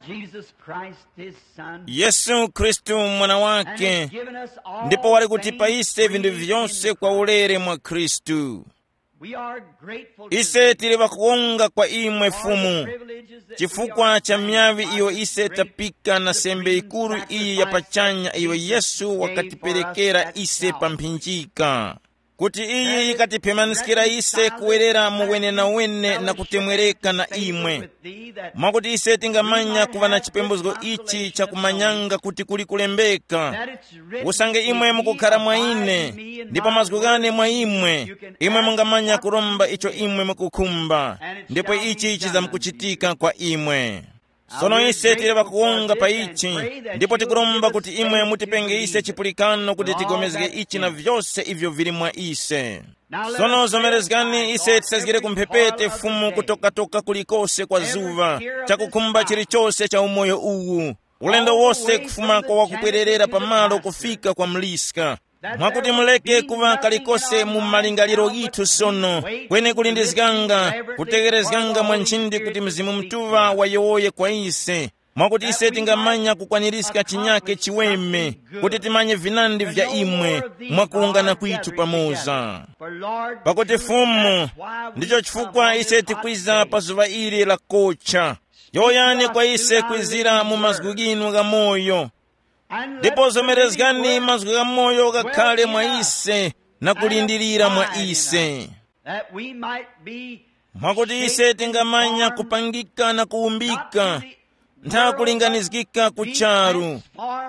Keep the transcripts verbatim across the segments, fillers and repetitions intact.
Jesus Christ, his Son, Yesu Khristu, mwana and wake, has given us all ndipo wali kutipa things ise vinthu freely vyonse in kwa Christ. Ulere mwa Khristu. We are grateful to Ise thee tili ŵakuwonga kwa imwe for the Fumu, privileges that we chifukwa are cha thankful myavi for iyo this ise great tapika na sembe supreme ikuru iyi ya sacrifice pachanya that iyo Jesus Yesu made for us wakatiperekera at ise pa Calvary. Mphinjika, kuti iyi ikatipemaniskira ise kuwerera mu wenewene na kuchomwereka na imwe, mwakuti ise tingamanya kuŵa na chipembozgo ichi chakumanyanga kuti kuli kulembeka, usange imwe mukukhara mwa ine, ndipo mazgu ghane mwa imwe, imwe mungamanya kuromba icho imwe mukukhumba, ndipo ichi chizamkuchitika kwa imwe. Sono ise tili ŵakuwonga pa ichi, ndipo tikuromba kuti imwe mutipenge ise chipulikano kuti tigomezge ichi na vyose ivyo vili mwa ise. Sono zomerezgani ise tisazgire kumphepete Fumu kutokatoka kulikose kwa zuŵa, chakukhumba chilichose cha umoyo uwu, ulendo wose kufuma kwa wakubwererera pamalo kufika kwa mliska, mwakuti muleke kuŵa kalikose mu malingaliro ghithu sono, kweni kulindizganga, kutegherezganga mwa nchindi kuti Mzimu Mutuŵa wayowoye kwa ise, mwakuti ise tingamanya kukwanirizga chinyake chiweme, kuti timanye vinandi vya imwe mwakuwungana kwithu pamoza. Pakuti Fumu, ndicho chifukwa ise tikwiza pa zuŵa ili la kocha. Yowoyani kwa ise kwizira mu mazgu ghinu gha moyo, ndipo zomerezgani mazgu gha moyo ghakhale mwa ise na kulindirira mwa ise, that we might be mwakuti ise tingamanya kupangika na kuwumbika, ntha kulinganizgika ku charu,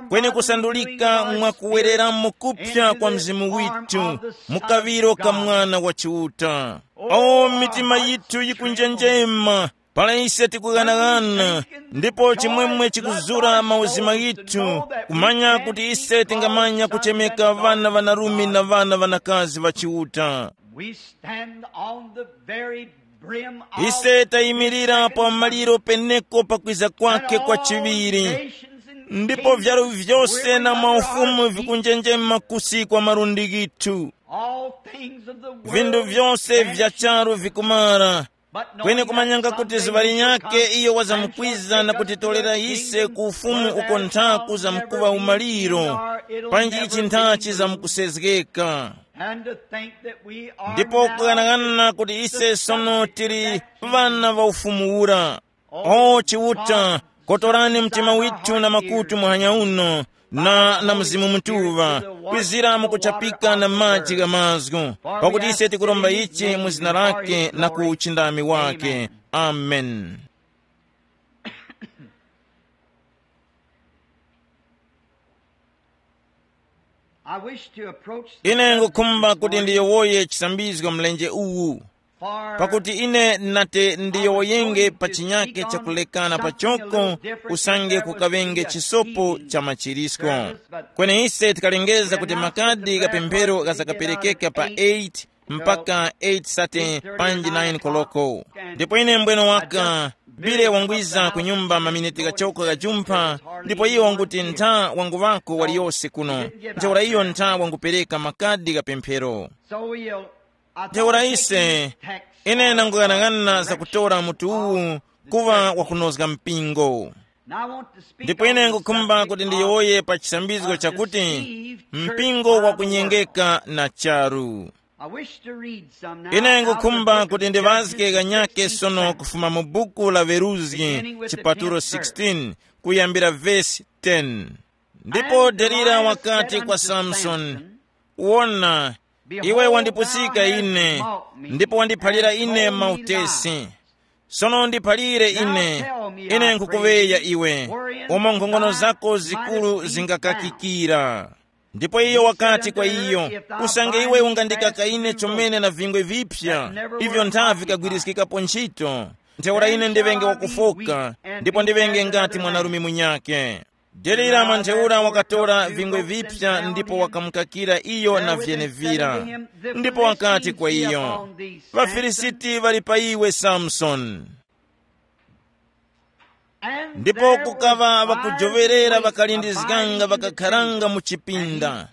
kweni kusandulika mwa kuwereramo kupya kwa mzimu withu mu kaŵiro ka Mwana wa Chiuta. O, mitima yithu yikunjenjema para ise tikughanaghana, ndipo chimwemwe chikuzura mauzima ghithu, kumanya kuti ise tingamanya kuchemeka ŵana ŵanarume na ŵana ŵanakazi ŵa Chiuta. We stand on the very brim of ise tayimirira pa maliro peneko pakwiza kwake kwa chiŵiri, ndipo vyalu vyose na maufumu vikunjenjema kusi kwa malundi ghithu. All things of the world vinthu vyose vya charu vikumara, kweni kumanyanga kuti zuŵa linyakhe iyo wazamkwiza na kutitorera ise ku ufumu uko nthaku zamkuŵa umaliro, panji ichi nthachi zamkusezgeka. And to think that we are ndipo now kughanaghanana kuti ise sono tili ŵana va ufumu ura. O Chiuta, kotorani mtima withu na makutu muhanya uno, na na Mzimu Mutuŵa, kwizira mukuchapika na maji gha mazgu, pakuti ise tikuromba ichi mu zina lake na ku uchindami wake. Amen. I wish to approach the ine ngukhumba kuti ndiyowoye chisambizgo mlenje uwu, pakuti ine nati ndiyowoyenge pa chinyake chakulekana pachoko, usange kukaŵenge chisopo cha machirisko. Kweni ise tikalengeza kuti makadi gha pemphero ghazakaperekeka pa eight mpaka eight thirty panji nine koloko. Ndipo ine mbwene waka bile wangwiza ku nyumba maminiti ghachoko ghajumpha, ndipo iwo wanguti ntha wanguŵako waliyose kuno. Ntheura iyo ntha wangupereka makadi gha pemphero. So we'll, I thought ntheura ise ine nanguyang'ana za kutora mutu uwu kuva wakunozga mpingo. Ndipo ine ngukhumba kuti ndiyowoye pa chisambizgo chakuti mpingo wakunyengeka na charu. Ine ngukhumba kuti ndiŵazge ghanyake sono kufuma mu buku la Veruzgi, chipatulo sixteen, kuyambira vesi ten. Ndipo Delila wakati kwa Samsoni, wona, iwe wandipusika ine, ndipo wandiphalira ine mautesi. Sono ndiphalire ine, ine nkukuŵeya iwe, umo nkhongono zako zikuru zingakakikira. Ndipo iyo wakati kwa iyo, usange iwe ungandikaka ine chomene na vingwe vipya, ivyo nthavi vikagwiriskikapo ntchito, ntheura ine ndiŵenge wakufoka, ndipo ndiŵenge ngati mwanarume munyakhe. Delila mwa ntheura wakatora vingwe vipya ndipo wakamukakira iyo na vyenevira. Ndipo wakati kwa iyo, ŵaFilisiti ŵali pa iwe, Samsoni. Ndipo kukaŵa ŵakujoŵerera ŵakalindizganga ŵakakharanga mu chipinda.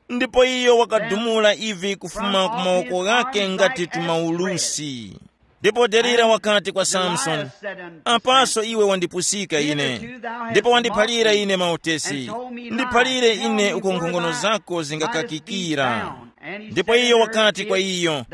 Ndipo iyo wakadumula ivi kufuma ku mawoko ghakhe ngati tumaulusi. Ndipo Delila wakati kwa Samsoni, "Apaso iwe wandipusika ine, ndipo wandiphalira ine mautesi. Ndiphalire ine uko nkhongono zako zingakakikira." Ndipo iyo wakati kwa iyo,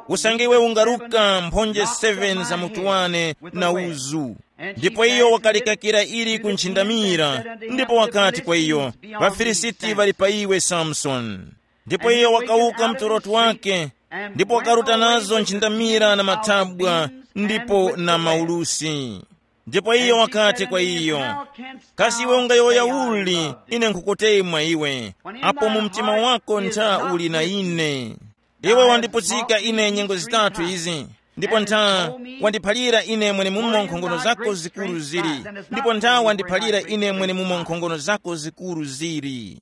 "Usange iwe ungaruka mphonje seven za mutu wane na uzu." Ndipo iyo wakalikakira ili ku nchindamira, ndipo wakati kwa iyo, "Ŵafilisiti ŵali pa iwe, Samsoni." Ndipo iyo wakawuka mtoroto wake, ndipo wakaruta nazo nchindamira na mathabwa, ndipo na maulusi. Ndipo iyo wakati kwa iyo, "Kasi iwe ungayowoya uli, ine nkhukutemwa iwe, apo mu mtima wako ntha uli na ine? Iwe wandiputsika ine nyengo zitatu izi, ndipo ntha wandiphalira ine mwenemumo nkhongono zako zikuru zili, ndipo ntha wandiphalira ine mwenemumo nkhongono zako zikuru zili."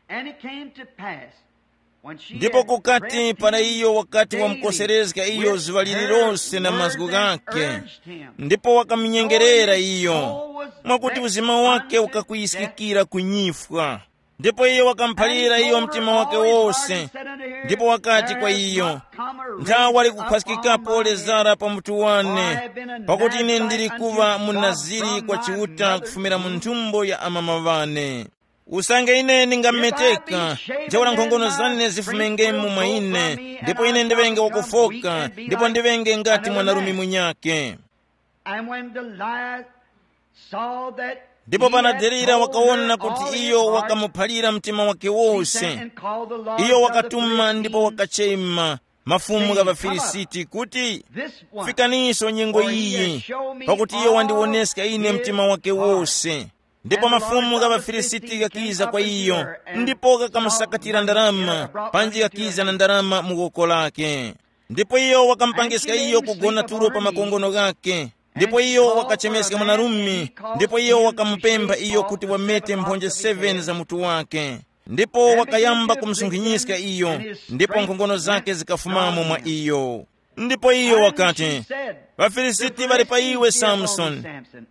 And it came to pass, when she Ndipo had kukati pressed para him iyo wakati daily, wamukoserezga iyo zuŵa lililose na mazgu ghake, urged him, ndipo wakamunyengerera iyo, mwakuti uzima wake ukakuyiskikira kunyifwa. Ndipo iyo wakamuphalira iyo mtima wake wose, ndipo wakati kwa iyo, "Nthawe wali kukhwaskikapo lezara pa mutu wane, pakuti ine ndili kuŵa munaziri kwa Chiuta kufumira mu nthumbo ya amama ŵane. Usange ine ndingameteka, ntheura nkhongono zane zifumengemo mwa ine, ndipo ine ndiŵenge wakufoka, ndipo ndiŵenge ngati mwanarume munyakhe." And when Delilah saw that Ndipo he pana had Delila told wakaona her kuti all his iyo heart, wakamuphalira mtima wake she wose, sent and called the Lord iyo of the wakatuma Philistines, ndipo wakachema mafumu gha ŵaFilisiti kuti, "Fikaninso nyengo iyi, pakuti iyo wandiwoneska ine mtima wake wose." Ndipo mafumu gha ŵaFilisiti ghakiza kwa iyo, ndipo ghakamusakatira ndarama, panji ghakiza na ndarama mu woko lake. Ndipo iyo wakamupangiska iyo kugona tulo pa makongono ghake. Ndipo iyo wakachemeska mwanarume, ndipo iyo wakamupempha iyo kuti wamete mphonje seven za mutu wake. Ndipo wakayamba kumusunkhinyiska iyo, ndipo nkhongono zake zikafumamo mwa iyo. Ndipo iyo wakati, "ВaFilisiti ŵali pa iwe, Samsoni."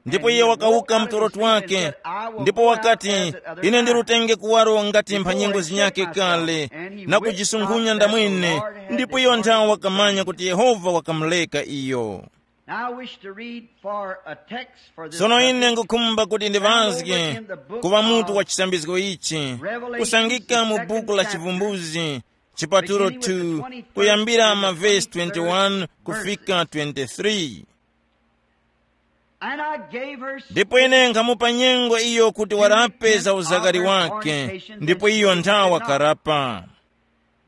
Ndipo iyo wakawuka mtoroto wake, ndipo wakati, "Ine ndirutenge kuwaro ngati mphanyengo zinyakhe kale, na kujisunkhunya ndamwene." Ndipo iyo nthawe wakamanya kuti Yehova wakamuleka iyo. Now I wish to read for a text for this Sono ine subject. Ngukhumba kuti ndiŵazge kuŵa mutu wa chisambizgo ichi, kusangika mu buku la Chivumbuzi, chipatulo two, kuyambira mavesi twenty-one kufika twenty-three. And I gave her Ndipo ine nkhamupa nyengo iyo kuti warape za uzakari wake, ndipo iyo nthawa karapa.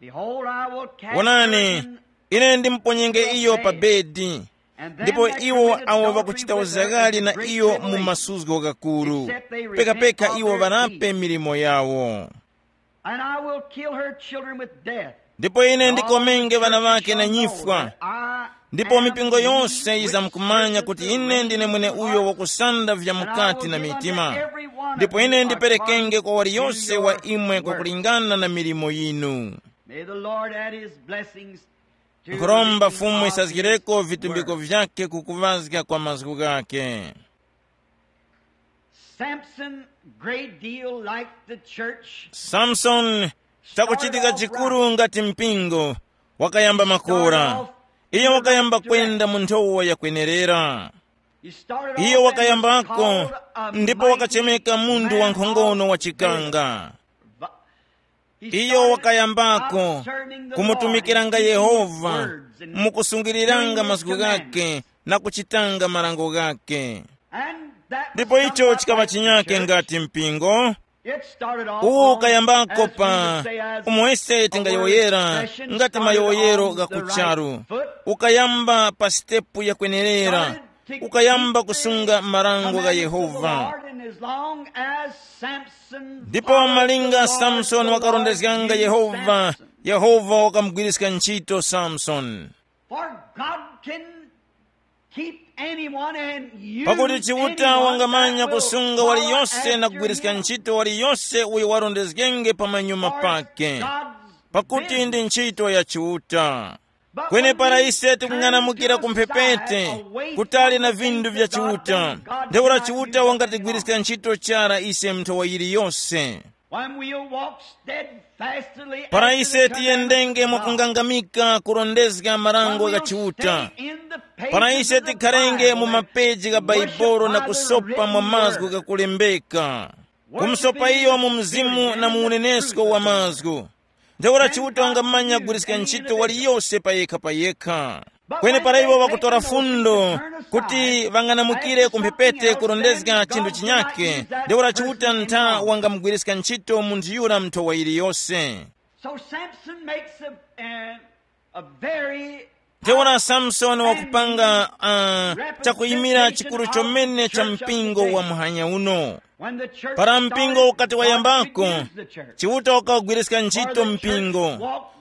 Behold, I will cast her Wonani, in ine ndimuponyenge iyo pa bedi, ndipo iwo awo ŵakuchita uzagari na iyo mu masuzgo ghakuru, pekapeka iwo ŵarape milimo yawo. And I will kill her children with death. Ndipo ine ndikomenge ŵana ŵake na nyifwa, ndipo mipingo yose yizamkumanya kuti ine ndine mwene uyo wakusanda vya mukati na mitima. Ndipo ine ndiperekenge kwa waliyose wa imwe kwakulingana na milimo yinu. May the Lord add his blessings to Nkhuromba the Fumu isazgireko vitumbiko vyake kukuŵazga kwa mazgu ghake. Samson, great deal like the church, Samsoni, chakuchitika chikuru ngati mpingo, wakayamba makora. Iyo wakayamba kwenda mu nthowa yakwenerera. Iyo wakayambako, ndipo wakachemeka munthu wankhono wa chikanga. Iyo wakayambako kumutumikiranga Yehova, mukusungiriranga mazgu ghake na kuchitanga marango ghake. Ndipo icho chikaŵa chinyake ngati mpingo. Uwo ukayambako pa umo ise tingayowoyera ngati mayowoyero gha kucharu. Ukayamba pa sitepu yakwenerera, ukayamba kusunga marango gha Yehova. Ndipo malinga Samsoni wakarondezganga Yehova, Yehova wakamugwiriska ntchito Samsoni. For God can keep anyone and use Pakuti Chiuta wangamanya kusunga waliyose na kugwiriska ntchito waliyose uyo warondezgenge pa manyuma pake, pakuti ndi ntchito ya Chiuta. Kweni para ise tikung'anamukira ku mphepete, kutali na vindu vya Chiuta, ntheura Chiuta wangatigwiriska ntchito chara ise mu nthowa yiliyose. When we'll walk steadfastly para after ise the commandments tiyendenge of God, mwakungangamika kurondezga marango when we'll gha Chiuta, stay in the pages para ise of the tikharenge mu Bible, mapeji gha and worship Bhaibuli na by the kusopa mwa written mazgu word, ghakulembeka, worshiping kumusopa iyo mu mzimu na mu unenesko wa mazgu, ntheura Chiuta wangamanya kugwiriska ntchito waliyose payekha payekha. Kweni para iwo ŵakutora fundo kuti ŵang'anamukire ku mphepete kurondezga chinthu chinyake, ntheura Chiuta ntha wangamugwiriska ntchito munthu yura nthowa yiliyose. So Samson makes a, a, a very ntheura Samsoni wakupanga uh, chakuyimira chikuru chomene cha mpingo wa muhanya uno. Para mpingo ukati wayambako, Chiuta wakawugwiriska ntchito mpingo,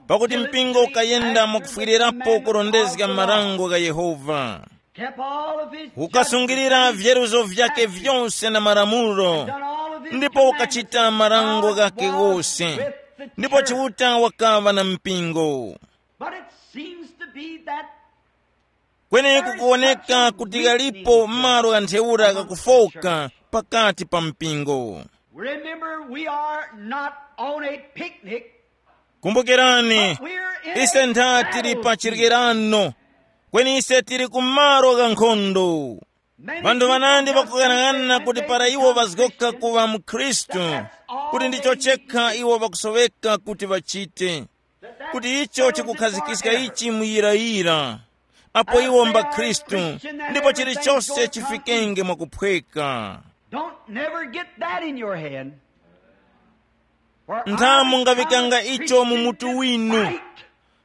pakuti mpingo ukayenda mwakufwirirapo kurondezga marango gha Yehova. Ukasungilira vyeruzo vyake vyose na malamulo, ndipo ukachita marango ghake ghose, ndipo Chiuta wakaŵa na mpingo. But it seems to be that kweni kukuwoneka kuti ghalipo malo gha ntheura ghakufoka pakati pa mpingo. Remember, we are not on a picnic. Kumbukirani, ise ntha tili pa chirikirano, kweni ise tili ku malo gha nkhondo. Vanthu vanandi vakughanaghanana kuti para iwo vazgoka kuŵa mukhristu, kuti ndicho chekha iwo vakusoweka kuti vachite, kuti icho chikukhazikiska ichi muyirayira, apo iwo mba Khristu, ndipo chilichose chifikenge mwakuphweka. Don't never get that in your head. Ntha mungaŵikanga icho mu mutu winu,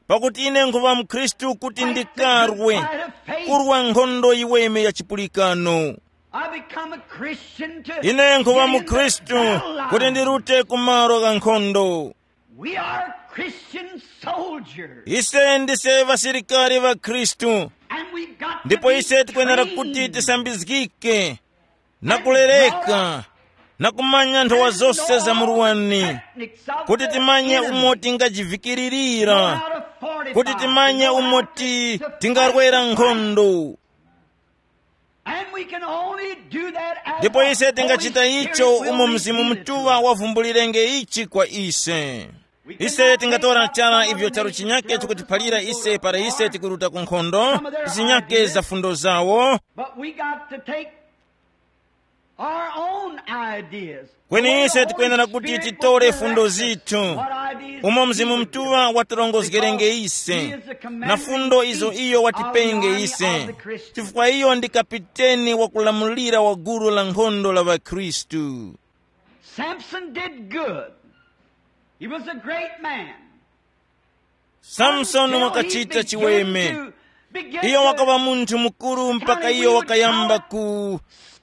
pakuti ine nkhuŵa mukhristu kuti ndikarwe kurwa nkhondo yiweme ya chipulikano. I become a Christian to ine nkhuŵa mukhristu kuti ndirute ku malo gha nkhondo. We are Christian soldiers. Ise ndise ŵasilikari ŵa Khristu, and we've got to ndipo be ise tikwenera trained kuti tisambizgike na kulereka na kumanya nthowa zose za murwani, kuti timanye umo tingajivikiririra, kuti timanye umo ti tingarwera nkhondo. And we can only do that as ndipo ise tingachita icho umo Mzimu Mutuŵa wavumbulirenge ichi kwa ise. Ise tingatora chara ivyo charu chinyake chikutiphalira ise para ise tikuruta ku nkhondo, zinyake za fundo zawo. But we got to take our own ideas. Kweni ise tikwenera kuti titore fundo zithu, umo Mzimu Mutuŵa watirongozgerenge ise, na fundo izo iyo watipenge ise, chifukwa iyo ndi kapiteni wakulamulira wa gulu la nkhondo la ŵakhristu. Samson did good. He was a great man. Samsoni wakachita chiweme. Iyo wakaŵa munthu mukuru mpaka iyo wakayamba ku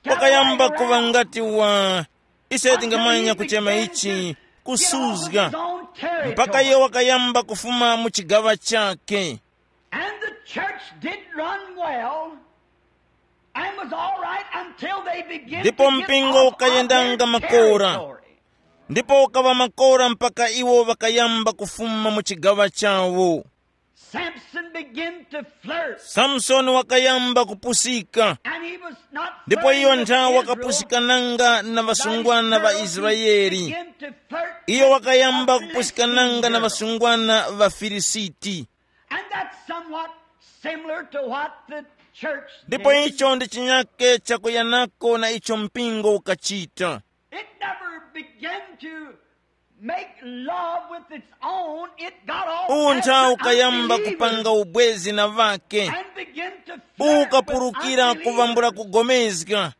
wakayamba kuŵa ngati wa ise tingamanya kuchema ichi kusuzga, mpaka iyo wakayamba kufuma mu chigaŵa chake. And the church did run well and was all right until they began ndipo to get mpingo off of ukayendanga their makora territory. Ndipo ukaŵa makora mpaka iwo ŵakayamba kufuma mu chigaŵa chawo. Samson began to flirt. Samsoni wakayamba kupusika. And he was not ndipo iyo flirting with nthawi Israel, wakapusikananga na ŵasungwana ŵa Israeli. Began to flirt iyo with wakayamba the Philistine kupusikananga na girl. Ŵasungwana ŵa Filisiti. And that's somewhat similar to what the church ndipo did. Icho ndi chinyake chakuyanako na icho mpingo ukachita. It never began to make love with its own. It got off uwu nthawi ukayamba kupanga ubwezi na ŵake and began to flirt ukapulukira with unbelievers. Kuvambula kugomezga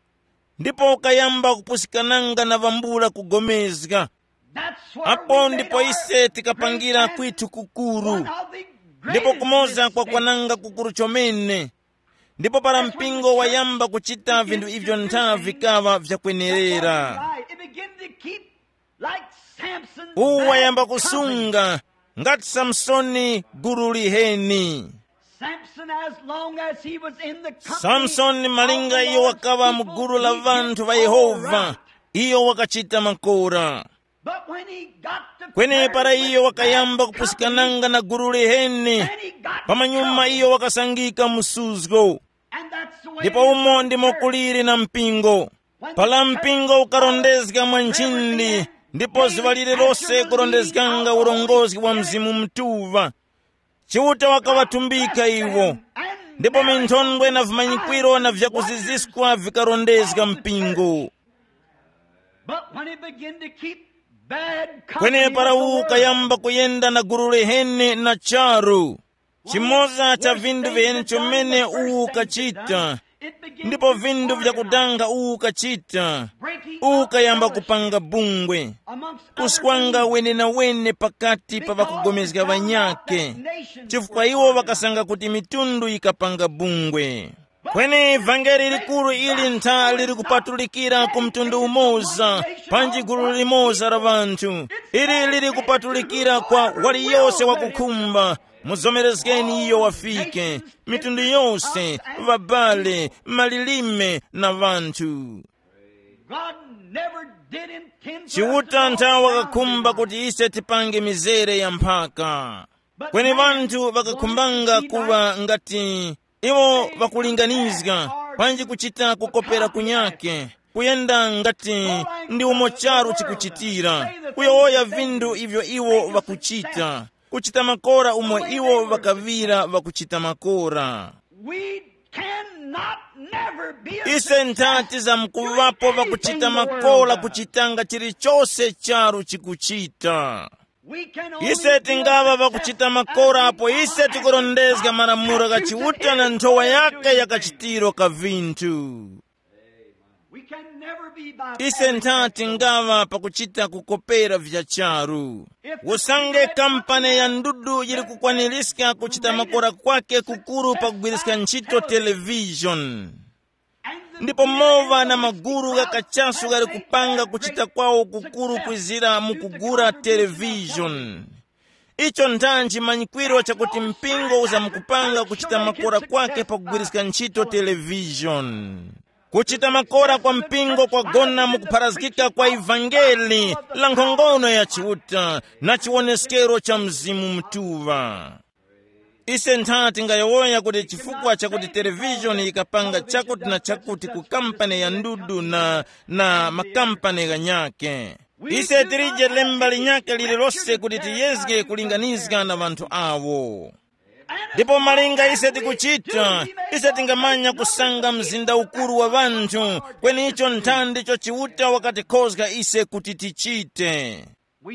ndipo ukayamba kupusikananga na vambula kugomezga. That's where apo we made ndipo our ise tikapangira great kwithu kukuru one of the ndipo greatest kumoza kwa mistakes. Kwananga kukuru chomene. Ndipo para mpingo wayamba kuchita vinthu ivyo ntha vikaŵa vyakwenerera. It began to keep like Samson uwu wayamba kusunga ngati Samsoni gulu liheni. Samson, as long as he was in the company samsoni malinga iyo wakaŵa mu gulu la vanthu va Yehova, iyo wakachita makora. But when he got to kweni para iyo wakayamba kupusikananga na gulu liheni, pamanyuma iyo wakasangika msuzgo. Ndipo umo ndimo kuliri na mpingo. Pala mpingo ukarondezga mwa nchindi, Ndipo zuŵa lililose kurondezganga urongozgi wa Mzimu Mutuŵa. Chiuta wakaŵatumbika iwo, ndipo minthondwe na vimanyikwiro na vyakuziziskwa vikarondezga mpingo. But when he began to keep bad company kwenepara with the uwu world, ukayamba kuyenda na gulu liheni na charu. Chimoza cha vindu viheni chomene uwu ukachita, ndipo vindu vyakudanga uwu ukachita, uwu ukayamba kupanga bungwe, kuswanga wenenawene pakati pa ŵakugomezga ŵanyakhe, chifukwa iwo ŵakasanga kuti mitundu yikapanga bungwe. Kweni vangeli likuru ili ntha liri kupatulikira ku mtundu umoza, panji gulu limoza la ŵanthu. Ili liri kupatulikira kwa waliyose wakukhumba, muzomerezgeni iyo wafike, mitundu yose, ŵabale, malilime na ŵanthu. God never did intend for us to Chiuta nthawe wakakhumba kuti ise tipange mizere ya mphaka. Kweni ŵanthu ŵakakhumbanga kuŵa ngati iwo ŵakulinganizga, panji kuchita kukopera kunyake, kuyenda ngati ndi umo charu chikuchitira, kuyowoya vindu ivyo iwo ŵakuchita, kuchita makora umo iwo ŵakaŵira ŵakuchita makora. We cannot never be a ise nthati za mkuvapo ŵakuchita makora kuchitanga chilichose charu chikuchita. Ise tingaŵa ŵakuchita makora apo ise tikurondezga malamulo gha Chiuta na nthowa yake ya kachitiro ka vinthu. Ise ntha tingaŵa pakuchita kukopera vya charu. Usange kampani ya ndudu yili kukwaniska kuchita makora kwake kukuru pakugwiriska ntchito televishoni, ndipo mova na maguru gha kachasu ghali kupanga kuchita kwawo kukuru kwizira mu kugura televishoni, icho nthanji manyikwiro chakuti mpingo uzamkupanga kuchita makora kwake pakugwiriska ntchito televishoni. Kuchita makora kwa mpingo kwagona mu kupharazgika kwa ivangeli la nkhongono ya Chiuta na chiwoneskero cha Mzimu Mutuŵa. Ise ntha tingayowoya kuti chifukwa chakuti televishoni yikapanga chakuti na chakuti ku kampani ya ndudu na, na makampani ghanyakhe, ise tilije lemba linyakhe lililose kuti tiyezge kulinganizga na ŵanthu awo. Ndipo malinga ise tikuchita, ise tingamanya kusanga mzinda ukuru wa ŵanthu, kweni icho nthandicho Chiuta wakatikhozga ise kuti tichite.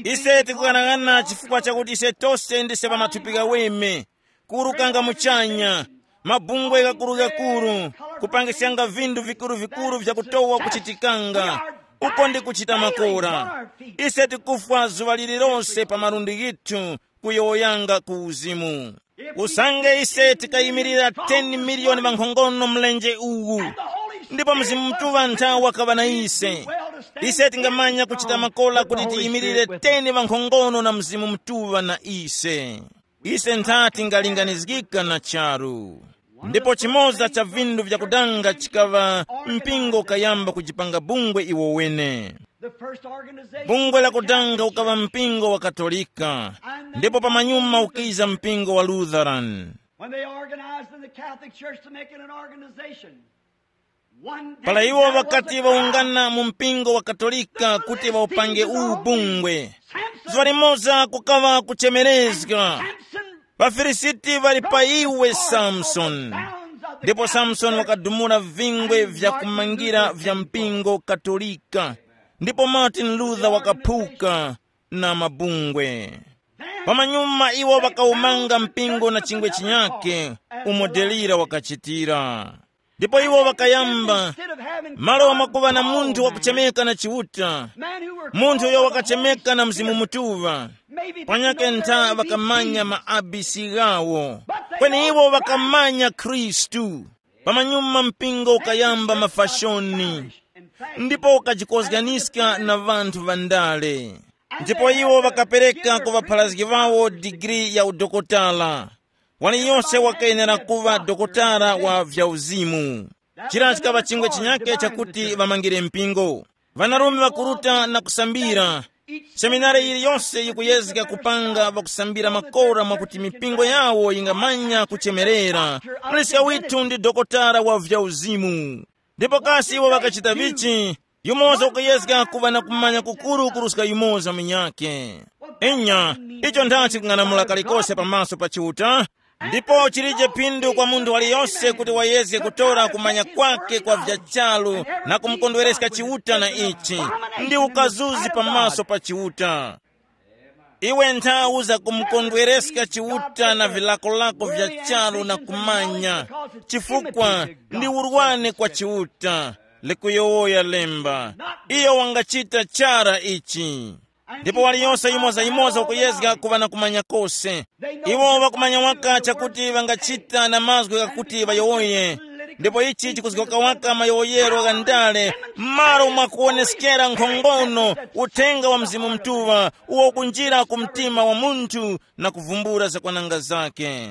Ise tikughanaghananga chifukwa chakuti ise tose ndise ŵamathupi ghaweme, kuwurukanga muchanya, mabungwe ghakurughakuru, kupangiskanga vinthu vikuruvikuru vyakutowa kuchitikanga, uko ndi kuchita makora. Ise tikufwa zuŵa lililose pa malundi ghithu kuyowoyanga ku uzimu. Usange ise tikayimirira ten miliyoni ŵankhongono mlenje uwu, ndipo Mzimu Mutuŵa ntha wakaŵa na ise, ise tingamanya kuchita makola kuti tiyimirire ten ŵankhongono na Mzimu Mutuŵa na ise. Ise ntha tingalinganizgika na charu. Ndipo chimoza cha vindu vyakudanga chikaŵa mpingo ukayamba kujipanga bungwe iwo wene. The first organization bungwe la kudanga ukaŵa mpingo wa Katolika, ndipo pamanyuma ukiza mpingo wa Lutheran. When they organized in the Catholic Church to make it an organization, one day pala iwo there was ŵakati a ŵawungana mu mpingo wa Katolika kuti ŵawupange uwu bungwe, zuŵa limoza kukaŵa kuchemerezga. Samson, ŵafilisiti ŵali pa iwe, Samsoni. Ndipo Samsoni wakadumula vingwe vyakumangira vya mpingo Katolika, ndipo Martin Luther wakaphuka na mabungwe. Pamanyuma iwo ŵakawumanga mpingo na chingwe chinyakhe, umo Delira wakachitira. Ndipo iwo ŵakayamba, malo wamakuŵa na munthu wakuchemeka na Chiuta, munthu uyo wakachemeka na Mzimu Mutuŵa, panyakhe ntha ŵakamanya ma A B C ghawo, kweni iwo ŵakamanya Khristu. Pamanyuma mpingo ukayamba mafashoni, ndipo ukajikozganiska na ŵanthu ŵandale. Ndipo iwo ŵakapereka ku ŵapharazgi ŵawo digiri ya udokotala. Waliyose wakayenera kuŵa dokotala wa vyauzimu. Chira chikaŵa chingwe chinyakhe chakuti ŵamangire mpingo. Ŵanarume ŵakuruta na kusambira. Seminari yiliyose yikuyezga kupanga ŵakusambira makora mwakuti mipingo yawo yingamanya kuchemerera. Muliska withu ndi dokotala wa vyauzimu. Ndipo kasi iwo ŵakachita vichi? Yumoza ukuyezga kuŵa na kumanya kukuru kuruska yumoza munyakhe. Inya, icho ndachi kung'anamula kalikose pamaso pa Chiuta. Ndipo chilije phindu kwa munthu waliyose kuti wayezge kutora kumanya kwake kwa vya charu na kumukondwereska Chiuta na ichi, ndi ukazuzi pamaso pa Chiuta. Iwe nthawi za kumukondwereska Chiuta na vilakolako vya charu na kumanya, chifukwa ndi urwane kwa Chiuta, likuyowoya lemba. Iyo wangachita chara ichi. Ndipo waliyose yimoza-yimoza ukuyezga kuŵa na kumanya kose. Iwo ŵakumanya waka chakuti ŵangachita na mazgu ghakuti ŵayowoye. Ndipo ichi chikuzgoka waka mayowoyero gha ndale, m'malo mwa kuwoneskera nkhongono uthenga wa Mzimu Mutuŵa uwo ukunjira ku mtima wa munthu na kuvumbula zakwananga zake.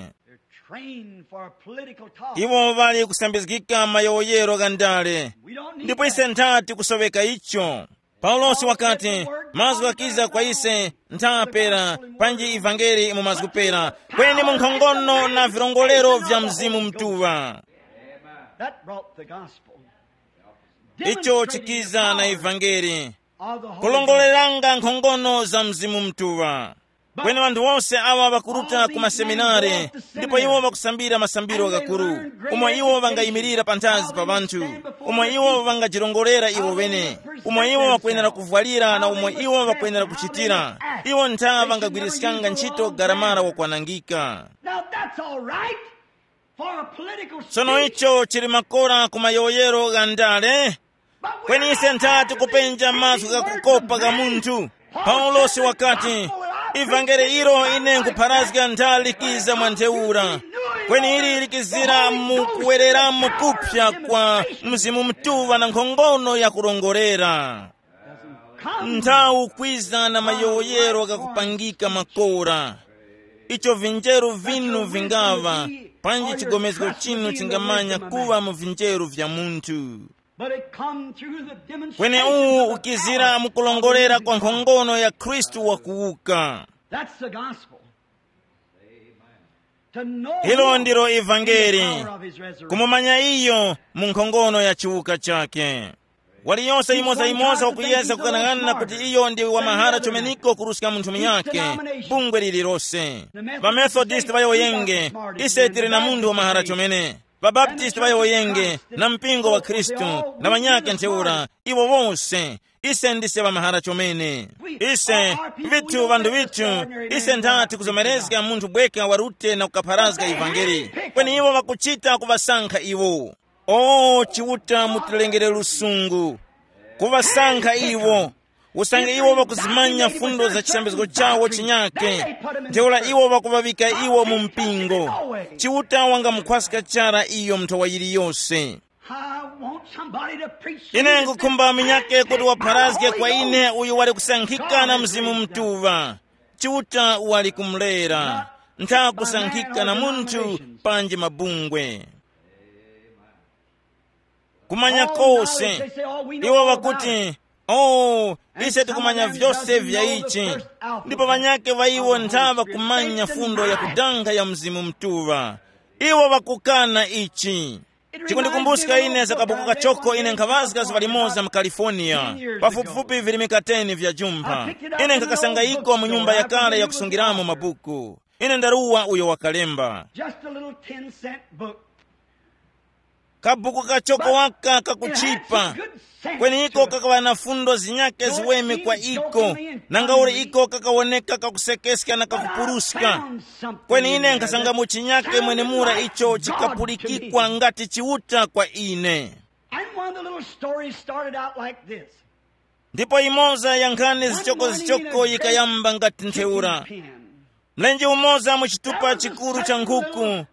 Trained for political talk. Iwo ŵali kusambizgika mayowoyero gha ndale. Ndipo ise nthati kusoveka icho. Paulosi wakati, mazgu ghakiza kwa ise ntha pera, panji ivangeli mu mazgu pera, kweni mu nkhongono na virongolero vya Mzimu Mutuŵa. That brought the gospel. Icho chikiza na ivangeli, kulongoleranga nkhongono za Mzimu Mutuŵa. Kweni ŵanthu wose awa ŵakuruta ku maseminare, ndipo iwo ŵakusambira masambiro ghakuru, umo iwo ŵangayimirira panthazi pa ŵanthu, umo iwo ŵangajirongorera iwo ŵene, umo iwo ŵakwenera kuvwalira na umo iwo ŵakwenera kuchitira. Iwo ntha ŵangagwiriskanga ntchito garamara wakwanangika. Now that's all right for a political Sono speech. Icho chili makora ku mayowoyero gha ndale. Kweni ise nthati kupenja mazgu ghakukopa gha munthu. Paulosi wakati, ivangeli ilo ine nkupharazga nthali likiza mwa ntheura, kweni ili likizira mu kuwereramo kupsa kwa Mzimu Mutuŵa na nkhongono ya kurongorera. Nthawi kwiza na mayowoyero ghakupangika makora, icho vinjeru vinu vingaŵa, panji chigomezgo chinu chingamanya kuŵa mu vinjeru vya munthu. But it come through the demonstration kweni uwu of the ukizira power mukulongolera kwa nkhongono ya Khristu wakuwuka. That's the gospel. To know ilo ndilo evangeli, power of his resurrection. Kumumanya iyo mu nkhongono ya chiwuka chake. Waliyonse yimoza-yimoza wakuyeza kukanang'ana kuti iyo ndi wa mahara chomeneko kuruska munthu munyakhe, bungwe lililose. Vamethodist ŵayowoyenge, ise tili na munthu wa mahara chomene. Vabaptisti ŵayowoyenge na mpingo wa Khristu na ŵanyakhe ntheura, iwo wose, ise ndise ŵamahara chomene. Ise, vithu vanthu vithu, ise nthati kuzomerezga munthu bweka warute na kukapharazga ivangeli. Kweni iwo ŵakuchita kuŵasankha iwo. O Chiuta, mutilengere lusungu, kuŵasankha iwo, usange iwo ŵakuzimanya fundo za chisambizgo chawo chinyake, ntheura iwo ŵakuŵaŵika iwo mu mpingo. Chiuta wangamukhwaska chara iyo mnthawa yiliyose. I want somebody to preach to me. Ine ngukhumba minyake kuti wapharazge kwa ine uyo wali kusankhika na Mzimu Mutuŵa. Chiuta wali kumulera, ntha kusankhika na munthu panji mabungwe. Kumanya kose. Iwo ŵakuti, oh, ise tikumanya vyose vya ichi. Ndipo ŵanyakhe ŵa iwo ntha ŵakumanya fundo ya kudanga ya Mzimu Mutuŵa. Iwo ŵakukana ichi. Chikundikumbuska ine za kabuku kachoko ine nkhaŵazga zuŵa limoza mu California, pafupifupi virimika ten vya jumpha. Ine nkhakasanga iko mu nyumba yakale yakusungiramo mabuku. Ine ndaruwa uyo wakalemba. Just a little ten cent book. Kabuku kachoko waka kakuchipa. Kweni iko kakaŵa na fundo zinyake ziweme kwa iko. Nanga uli iko kakawoneka kakusekeska na kakupuruska. Kweni ine nkhasanga mu chinyake mwenemura icho chikapulikikwa ngati Chiuta kwa ine. And one of the little stories started out like this. Ndipo imoza ya nkhani zichokozichoko yikayamba ngati ntheura. Mlenje umoza mu chitupa chikuru cha nkhuku,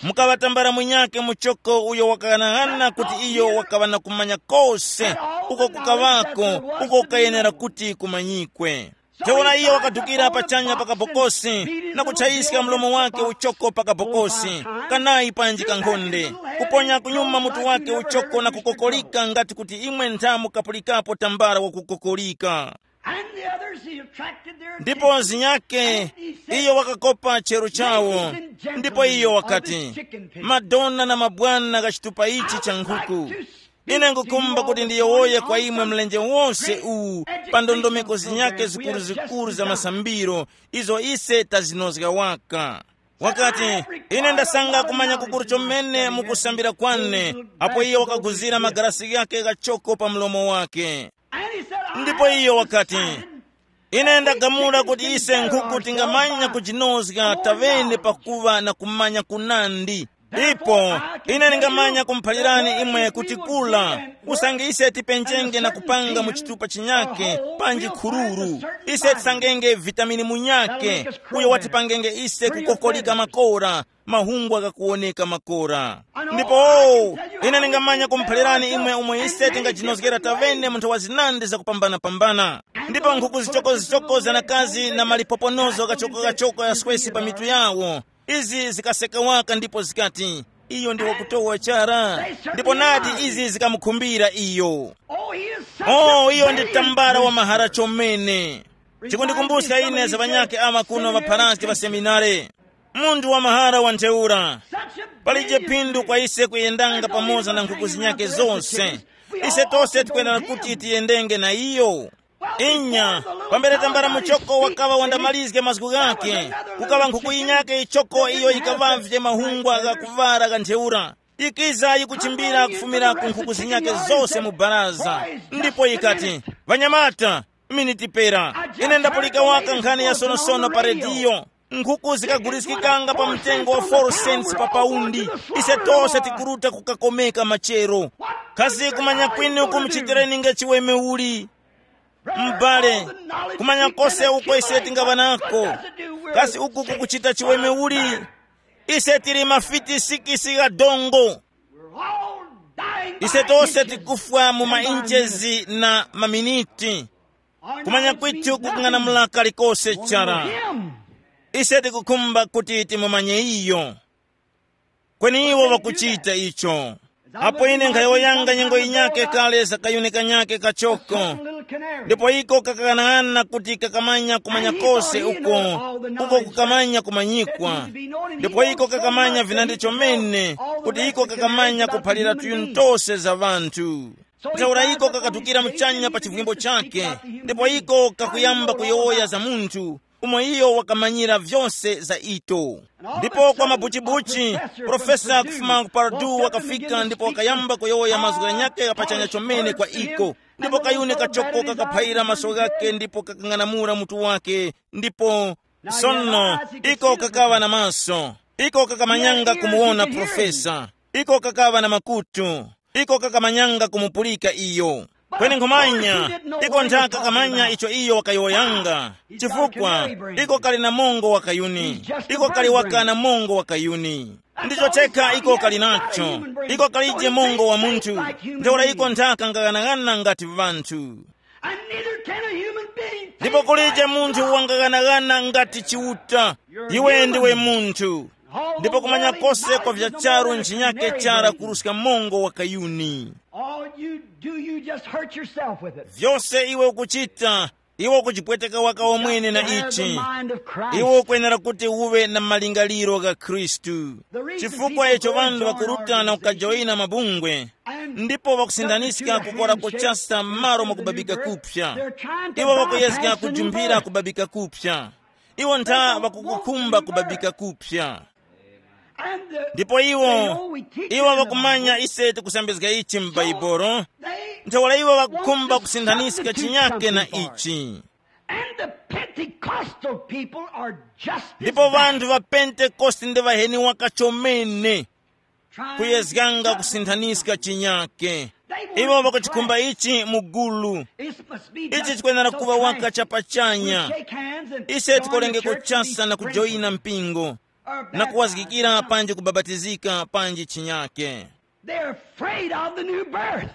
mukaŵa tambala mwinyake muchoko uyo wakang'anang'ana kuti iyo wakaŵa na kumanya kose uko kukaŵako, uko kukayenera kuti kumanyikwe. Ntheura iyo wakadukira pachanya pa kabokosi na kutchayiska mlomo wake uchoko pa kabokosi, kanayi panji kankhonde, kuponya kunyuma mutu wake uchoko na kukokolika ngati kuti imwe nthamu kapulikapo tambala wakukokolika. And the others, he attracted their attention. Ndipo zinyake, iyo wakakopa chero chawo. Ndipo iyo wakati, madona na mabwana gha chitupa ichi cha nkhuku, Ine ngukhumba kuti ndiyowoye kwa imwe mlenje wonse uwu, pa ndondomeko zinyake zikuruzikuru za masambiro, izo ise tazinozga waka. Wakati, ine ndasanga kumanya kukuru chomene mukusambira kwane, apo iye wakaguzira magarasi ghake ghachoko pa mlomo wake. Ndipo iyo wakati, ine ndagamula kuti ise nkhuku tingamanya kujinozga tavene pakuva na kumanya kunandi. Ipo ine ndingamanya kumuphalirani imwe kuti kula, usange ise tipenjenge na kupanga mu chitupa chinyake, panji khururu, ise tisangenge vitamini munyake, uyo watipangenge ise kukokolika makora, mahungwa ghakuwoneka makora. Ndipo ine ndingamanya kumuphalirani imwe umo ise tingajinozgera tavene mu nthawa zinandi zakupambana-pambana. Ndipo nkhuku zichokozichoko za nakazi na malipoponozo ghachokogachoko yaswesi pa mitu yawo, izi zikaseka waka ndipo zikati, iyo ndi wakutowa chara. Ndipo nadi izi zikamukhumbira iyo. Oh, iyo ndi tambala wa mahara chomene. Chikundikumbuska ine za ŵanyake ama kuno ŵapharazgi ŵa seminare. Munthu wa mahara wa ntheura, palije phindu kwa ise kuyendanga pamoza na nkhuku zinyake zonse. Ise tose tikwenera kuti tiyendenge na iyo. Inya, pambere tambala muchoko wakaŵa wandamalizge mazgu ghake, kukaŵa nkhuku yinyake yichoko iyo yikaŵavye mahungwa gha kuvara gha ntheura, ikiza yikuchimbira kufumira ku nkhuku zinyake zose mu baraza. Ndipo yikati, ŵanyamata, minitipera, ine ndapulika waka nkhani ya sonosono pa rediyo. Nkhuku zikaguliskikanga pa mtengo wa four cents pa paundi. Ise tose tikuruta kukakomeka machero. Kasi kumanya kwinu kumuchitireni nge chiweme uli? M'bale, kumanya kose uko ise tingaŵa nako, kasi uku kukuchita chiweme uli? Ise tili mafiti sikisi gha dongo. Ise tose tikufwa mu mainchezi na maminiti. Kumanya kwithu kukung'anamula kalikose chara. Ise tikukhumba kuti timumanye iyo. Kweni iwo ŵakuchita icho. Apo ine nkhayowoyanga nyengo yinyake kale za kayuni kanyake kachoko, ndipo iko kakaghanag'ana kuti kakamanya kumanya kose uko, uko kukamanya kumanyikwa. Ndipo iko kakamanya vinandi chomene, kuti iko kakamanya kuphalira tuyuni tose za ŵanthu. Ntheura iko kakatukira muchanya pa chivwimbo chake, ndipo iko kakuyamba kuyowoya za munthu umo iyo wakamanyira vyose za ito. Ndipo kwa mabuchibuchi, profesa kufuma ku Purdue wakafika ndipo wakayamba kuyowoya mazgu ghanyakhe ghapachanya chomene kwa iko. Ndipo kayuni kachoko kakaphayira maso ghakhe ndipo kakang'anamula mutu wake, ndipo sono iko kakaŵa na maso. Iko kakamanyanga kumuwona profesa. Iko kakaŵa na makutu. Iko kakamanyanga kumupulika iyo. Kweni nkhumanya, iko nthaka kamanya icho iyo wakayowoyanga. Chifukwa iko kali na mongo wa kayuni. Iko kali waka na mongo wa kayuni. Ndicho chekha iko kali nacho. Iko kalije mongo wa munthu. Ntheura iko nthaka ngaghanagana ngati vanthu. And neither can a human being ndipo kulije munthu wangaghanagana ngati chiuta. Iwe ndiwe munthu. Ndipo kumanya kose kwa vya charu nchinyake chara kuruska mongo wa kayuni. All you do, you just hurt yourself with it. Vyose iwe ukuchita, iwe ukuchipweteka waka omwene na ichi. Iwe ukwenera kuti uwe na malingaliro ga Khristu. Chifukwa icho ŵanthu ŵakurutana kukajoyina mabungwe, ndipo ŵakusindaniska kukora kuchasa m'malo mwakubabika kupsa. Iwo ŵakuyezga kujumbira kubabika kupsa. Iwo ntha ŵakukukhumba kubabika kupsa. Ndipo iwo, iwo ŵakumanya ise tikusambizga ichi m'Baibolo. Ntheura iwo ŵakukhumba kusinthanizga chinyake na ichi. And the Pentecostal people are just ndipo vanthu va pentekoste ndi ŵaheni waka chomene, kuyezganga kusinthanizga chinyake. Iwo ŵakuchikhumba ichi mu gulu. Ichi chikwenera kuŵa waka chapachanya. Ise tikolenge kuchasa na kujoyina mpingo, na kuwazgikira panji kubabatizika panji chinyake. They're afraid of the new birth.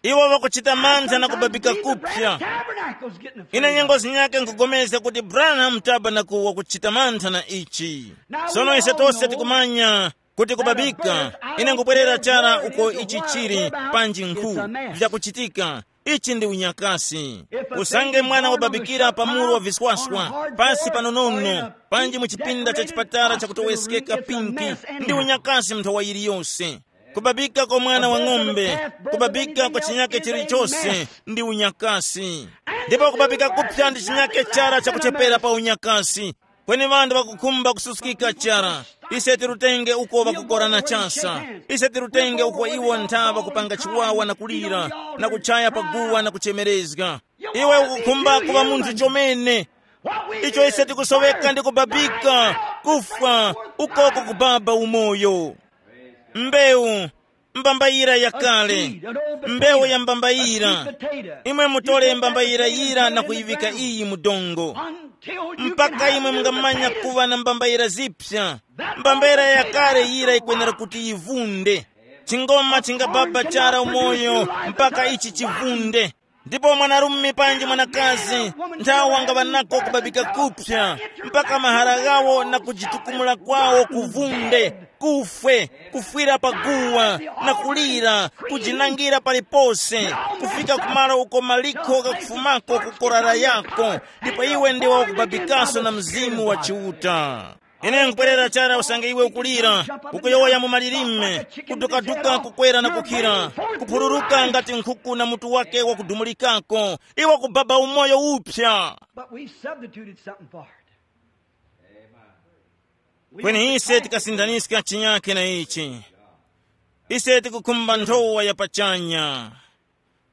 Iwo ŵakuchita mantha na kubabika kupya. Ine nyengo zinyake nkugomezga kuti Branham Tabernacle wakuchita mantha na ichi. Sono ise tose tikumanya kuti kubabika, ine nkubwerera chara uko ichi chili, panji nkhu vyakuchitika. Ichi ndi unyakasi. Usange mwana wababikira pa muru wa viswaswa, pasi panonono, panji mu chipinda cha chipatala chakutoweskeka pinki, ndi unyakasi nthawa yiliyose. Kubabika kwa mwana wa ng'ombe, kubabika kwa chinyake chilichose ndi unyakasi. Ndipo kubabika kupsa ndi chinyake chara chakuchepera pa unyakasi. Kweni ŵanthu ŵakukhumba kususkika chara. Ise tirutenge uko ŵakukorana chasa. Ise tirutenge uko iwo nthawa kupanga chiwawa na kulira, na kuchaya paguwa na kuchemerezga. Iwe ukukhumba kuŵa munthu chomene. Icho ise tikusoweka ndi kubabika, kufwa, ukoko kubaba umoyo. Mbewu, mbambayira yakale, mbewu ya mbambayira. Imwe mutole mbambayira yira na kuyiŵika iyi mu dongo, mpaka imwe mungamanya kuŵa na mbambayira zipsa. Mbambayira yakale yira yikwenera kuti yivunde. Chingoma chingababa chara umoyo mpaka ichi chivunde. Ndipo mwanarume panji mwanakazi, nthawi wangaŵa nako kubabika kupsa, mpaka mahara ghawo na kujitukumula kwawo kuvunde, kufwe, kufwira pa guwa, na kulira, kujinangira palipose, kufika kumalo uko malikho ghakufumako kukorara yako. Ndipo iwe ndiwe wakubabikaso na Mzimu wa Chiuta. Ine nkupwerera chara usange iwe ukulira, ukuyowoya mu malilime, kudukaduka kukwera na kukhira, kuphururuka ngati nkhuku na mutu wake wakudumulikako. Iwe kubaba umoyo upsa. But we substituted something for it. Kweni ise tikasindaniska chinyake na ichi. Ise tikukhumba nthowa ya pachanya.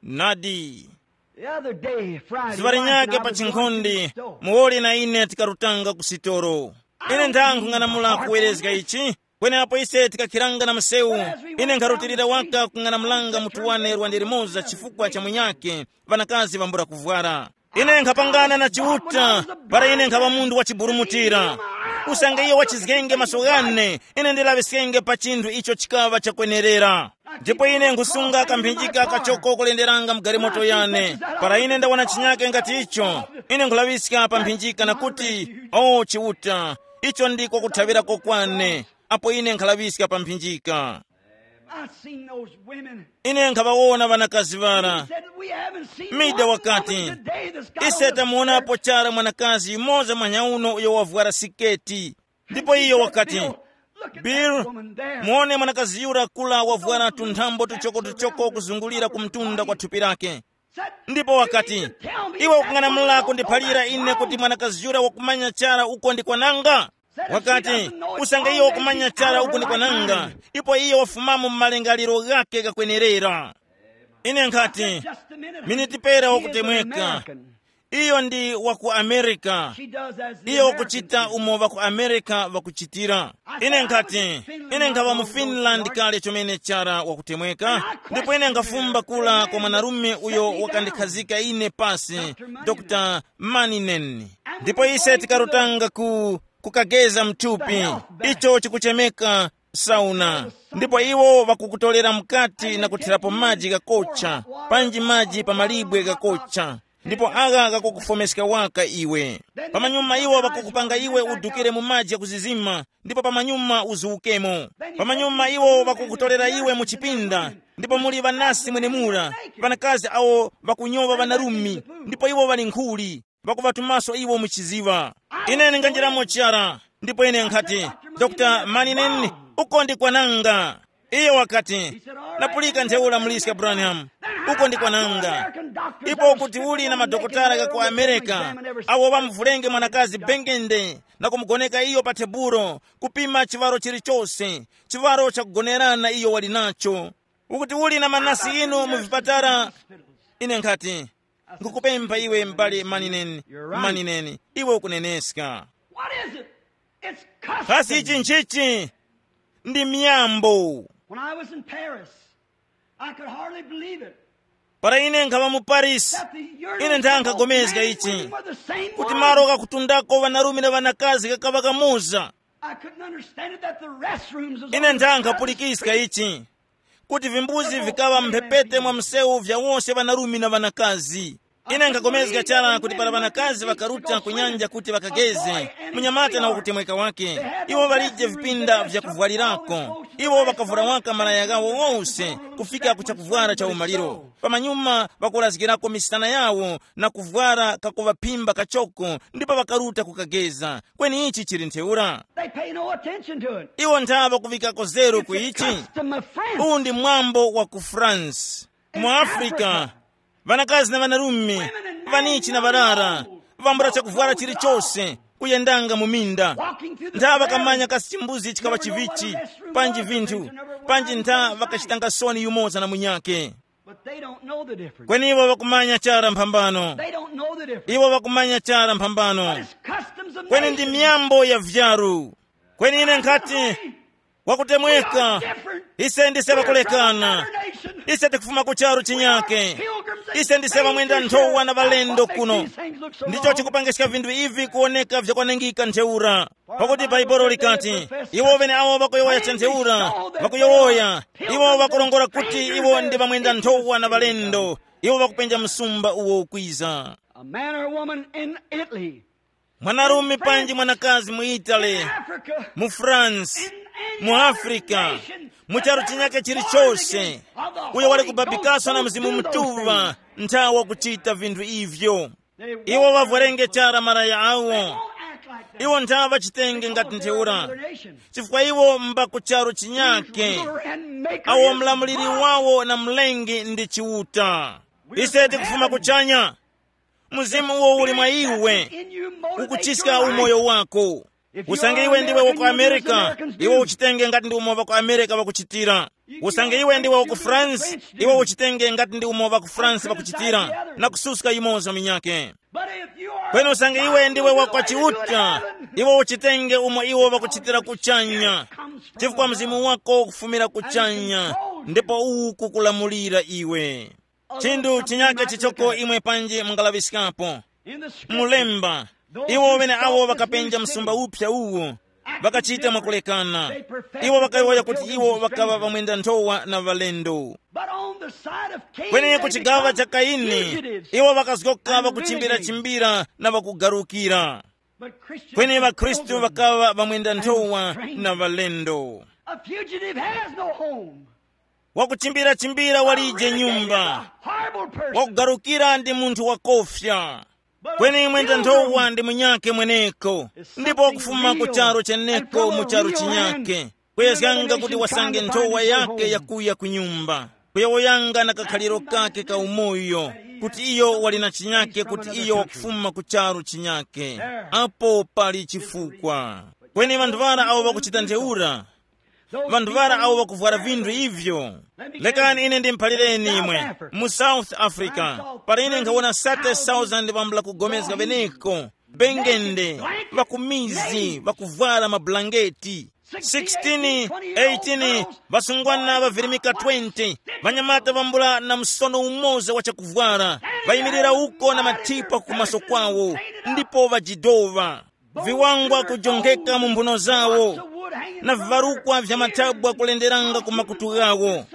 Nadi. The other day, Friday, zuŵa linyake pa chinkhonde, muwoli na ine tikarutanga ku sitolo. Ine ndang'ung'anamula kuwerezga ichi. Kweneapo ise tikakhiranga na msewu, ine nkharutilira waka kung'anamulanga mutu wane lwande limoza chifukwa cha munyake, ŵanakazi ŵambula kuvwara. Ine nkhapangana na Chiuta, para ine nkhaŵa munthu wachiburumutira. Usange iyo wachizgenge maso ghane, ine ndilaŵiskenge pa chinthu icho chikaŵa chakwenerera. Ndipo ine nkhusunga kamphinjika kachoko kulenderanga mu galimoto yane. Para ine ndawona chinyake ngati icho, ine nkhulaŵiska pa mphinjika na kuti, o Chiuta, icho ndiko kuthaŵirako kwane. Apo ine nkhalaŵiska pa mphinjika, I seen those women. Ine nkhaŵawona ŵanakazi ŵara. Said, "We haven't seen Mida one wakati, woman today that's got ise on a tamuonapo chara mwanakazi yumoza mwanyauno uyo wavwara siketi." Ndipo iyo wakati, "Bill, muone mwanakazi yura kula wavwara tunthambo tuchoko-tuchoko kuzungulira ku mtunda kwa thupi lake." Ndipo wakati, "Iwe ukung'anamula kundiphalira ine kuti mwanakazi yura wakumanya chara uko ndi kwananga?" Wakati, "Usange iyo wakumanya chara uko ndi kwananga, ipo iyo wafumamo mu malingaliro ghake ghakwenerera." Ine nkhati, "Miniti pera wakutemweka. Iyo ndi wa ku Amerika. Iyo wakuchita umo ŵa ku Amerika ŵakuchitira." Ine nkhati, "Ine nkhaŵa mu Finland kale chomene chara wakutemweka, ndipo ine nkhafumba kula kwa mwanarume uyo wakandikhazika ine pasi, Dokta Maninen. Ndipo ise tikarutanga ku, kukageza mthupi, icho chikuchemeka sauna. Ndipo iwo ŵakukutolera mukati na kuthirapo maji ghakocha, panji maji pa malibwe ghakocha. Ndipo agha ghakukufomeska waka iwe. Pamanyuma iwo ŵakukupanga iwe udukire mu maji ghakuzizima, ndipo pamanyuma uzuwukemo. Pamanyuma iwo ŵakukutolera iwe mu chipinda, ndipo muli ŵanasi mwenemura, ŵanakazi awo ŵakunyowa ŵanarume, ndipo iwo ŵali nkhuli, ŵakuŵatumaso iwo mu chiziŵa. Ine ndinganjiramo chara, ndipo ine nkhati, "Dokta Maninen, uko ndi kwananga." Iyo wakati, "Napulika ntheura muliska Branham, uko ndi kwananga." Ipo kuti uli na madokotala gha ku Amerika, awo ŵamuvulenge mwanakazi bengende na kumugoneka iyo pa tebulo, kupima chiŵaro chilichose, chiŵaro chakugonerana iyo wali nacho. Ukuti uli na manasi inu mu vipatala. Ine nkhati, "Nkukupempha iwe m'bale Maninen, Maninen, iwe ukuneneska." What is it? It's custom. Kasi ichi nchichi? Ndi miyambo. When I was in Paris, I could hardly believe it. Para ine nkhaŵa mu Paris, ine ndangagomezga ichi, kuti malo kakutundako ŵanarume na ŵanakazi kakaŵa kamoza. I couldn't understand it that the restrooms was ine on the ndangaphulikiska ichi, kuti vimbuzi vikaŵa mphepete mwa msewu vya wose ŵanarume na ŵanakazi. Ine nkhakomezga chara kuti para ŵanakazi ŵakaruta ku nyanja kuti ŵakageze, munyamata na wakutemweka wake, iwo ŵalije vipinda vyakuvwalirako. Iwo ŵakavura waka malaya ghawo wose kufika ku chakuvwara cha umaliro. Pamanyuma ŵakulazgirako misana yawo na kuvwara kakuŵaphimba kachoko, ndipo ŵakaruta kukageza. Kweni ichi chili ntheura. They pay no attention to it. Iwo nthawa kuvikako zeru ku ichi. Custom of France. Uwu ndi mwambo wa ku France. Mu Africa, ŵanakazi na ŵanarume, ŵanichi na ŵarara, vambula chakuvwara chilichose, kuyendanga mu minda. Ntha ŵakamanya kasi chimbuzi chikaŵa chivichi, panji vinthu, panji ntha ŵakachitanga soni yumoza na munyake. But they don't know the difference. Kweni iwo ŵakumanya chara mphambano. They don't know the difference. Iwo ŵakumanya chara mphambano. It's customs of kweni ndi nations. Miyambo ya vyaru. Kweni ine nkhati, wakutemweka, ise ndise ŵakulekana. Ise tikufuma ku charu chinyake. Ise ndise ŵamwenda nthowa na ŵalendo kuno. Ndicho chikupangiska vinthu ivi kuwoneka vyakwanengika ntheura. Pakuti Baibolo likati, iwo ŵeneawo ŵakuyowoya chentheura, ŵakuyowoya, iwo ŵakurongora kuti iwo ndi ŵamwenda nthowa na ŵalendo. Iwo ŵakupenja msumba uwo ukwiza. A man or woman in Italy, mwanarume panji mwanakazi mu Italy, Africa, mu France, mu Africa, mu charu chinyake chilichose, uyo wali kubabikaso na Mzimu Mutuŵa nthawi wakuchita vinthu ivyo. Iwo ŵavwerenge chara malaya awo. Iwo ntha ŵachitenge ngati ntheura, chifukwa iwo mba ku charu chinyake. Awo mlamuliri wawo na mlengi ndi Chiuta. Ise tikufuma kuchanya. Mzimu uwo uli mwa iwe, ukuchiska umoyo wako. Usange iwe ndiwe wa ku America, iwe uchitenge ngati ndi umo ŵa ku America ŵakuchitira. Usange iwe ndiwe wa ku France, iwe uchitenge ngati ndi umo ŵa ku France ŵakuchitira, na kususka yumoza minyake. Kweni usange iwe ndiwe wa kwa Chiuta, iwe uchitenge umo iwo ŵakuchitira kuchanya, chifukwa mzimu wako ukufumira kuchanya, ndipo uwu kukulamulira iwe. Chinthu chinyake chichoko imwe panji mungalaŵiskapo. Mulemba, iwo ŵeneawo ŵakapenja msumba uphya uwu, ŵakachita mwakulekana. Iwo ŵakayowoya kuti iwo ŵakaŵa ŵamwenda nthowa na ŵalendo. But on the side of Cain, kweni ku chigaŵa cha Kaini, iwo ŵakazgoka ŵakuchimbirachimbira na ŵakugarukira. Kweni ŵakhristu ŵakaŵa ŵamwenda nthowa na ŵalendo. A fugitive has no home. Wakuchimbirachimbira walije nyumba. Wakugarukira ndi munthu wakofya. Kweni mwenda nthowa ndi munyake mweneko, ndipo wakufuma ku charu cheneko mu charu chinyake, kuyezganga kuti wasange nthowa yake yakuya ku nyumba, kuyowoyanga na kakhaliro kake ka umoyo, kuti iyo wali na chinyake, kuti iyo wakufuma ku charu chinyake. Apo pali chifukwa. Kweni ŵanthu ŵara awo ŵakuchita ntheura, ŵanthu ŵara awo ŵakuvwara vinthu ivyo. Lekani ine ndimuphalireni imwe, mu South Africa, para ine nkhawona thirty thousand ŵambula kugomezga ŵeneko, bengende, ŵakumizi ŵakuvwara mabulangeti, sixteen, eighteen, ŵasungwana ŵavirimika twenty, ŵanyamata ŵambula na msono umoza wa chakuvwara, ŵayimirira uko na mathipa kumaso kwawo, ndipo ŵajidova. Viwangwa kujongeka mu mphuno zawo, na vivarukwa vya mathabwa kulenderanga ku makutu ghawo,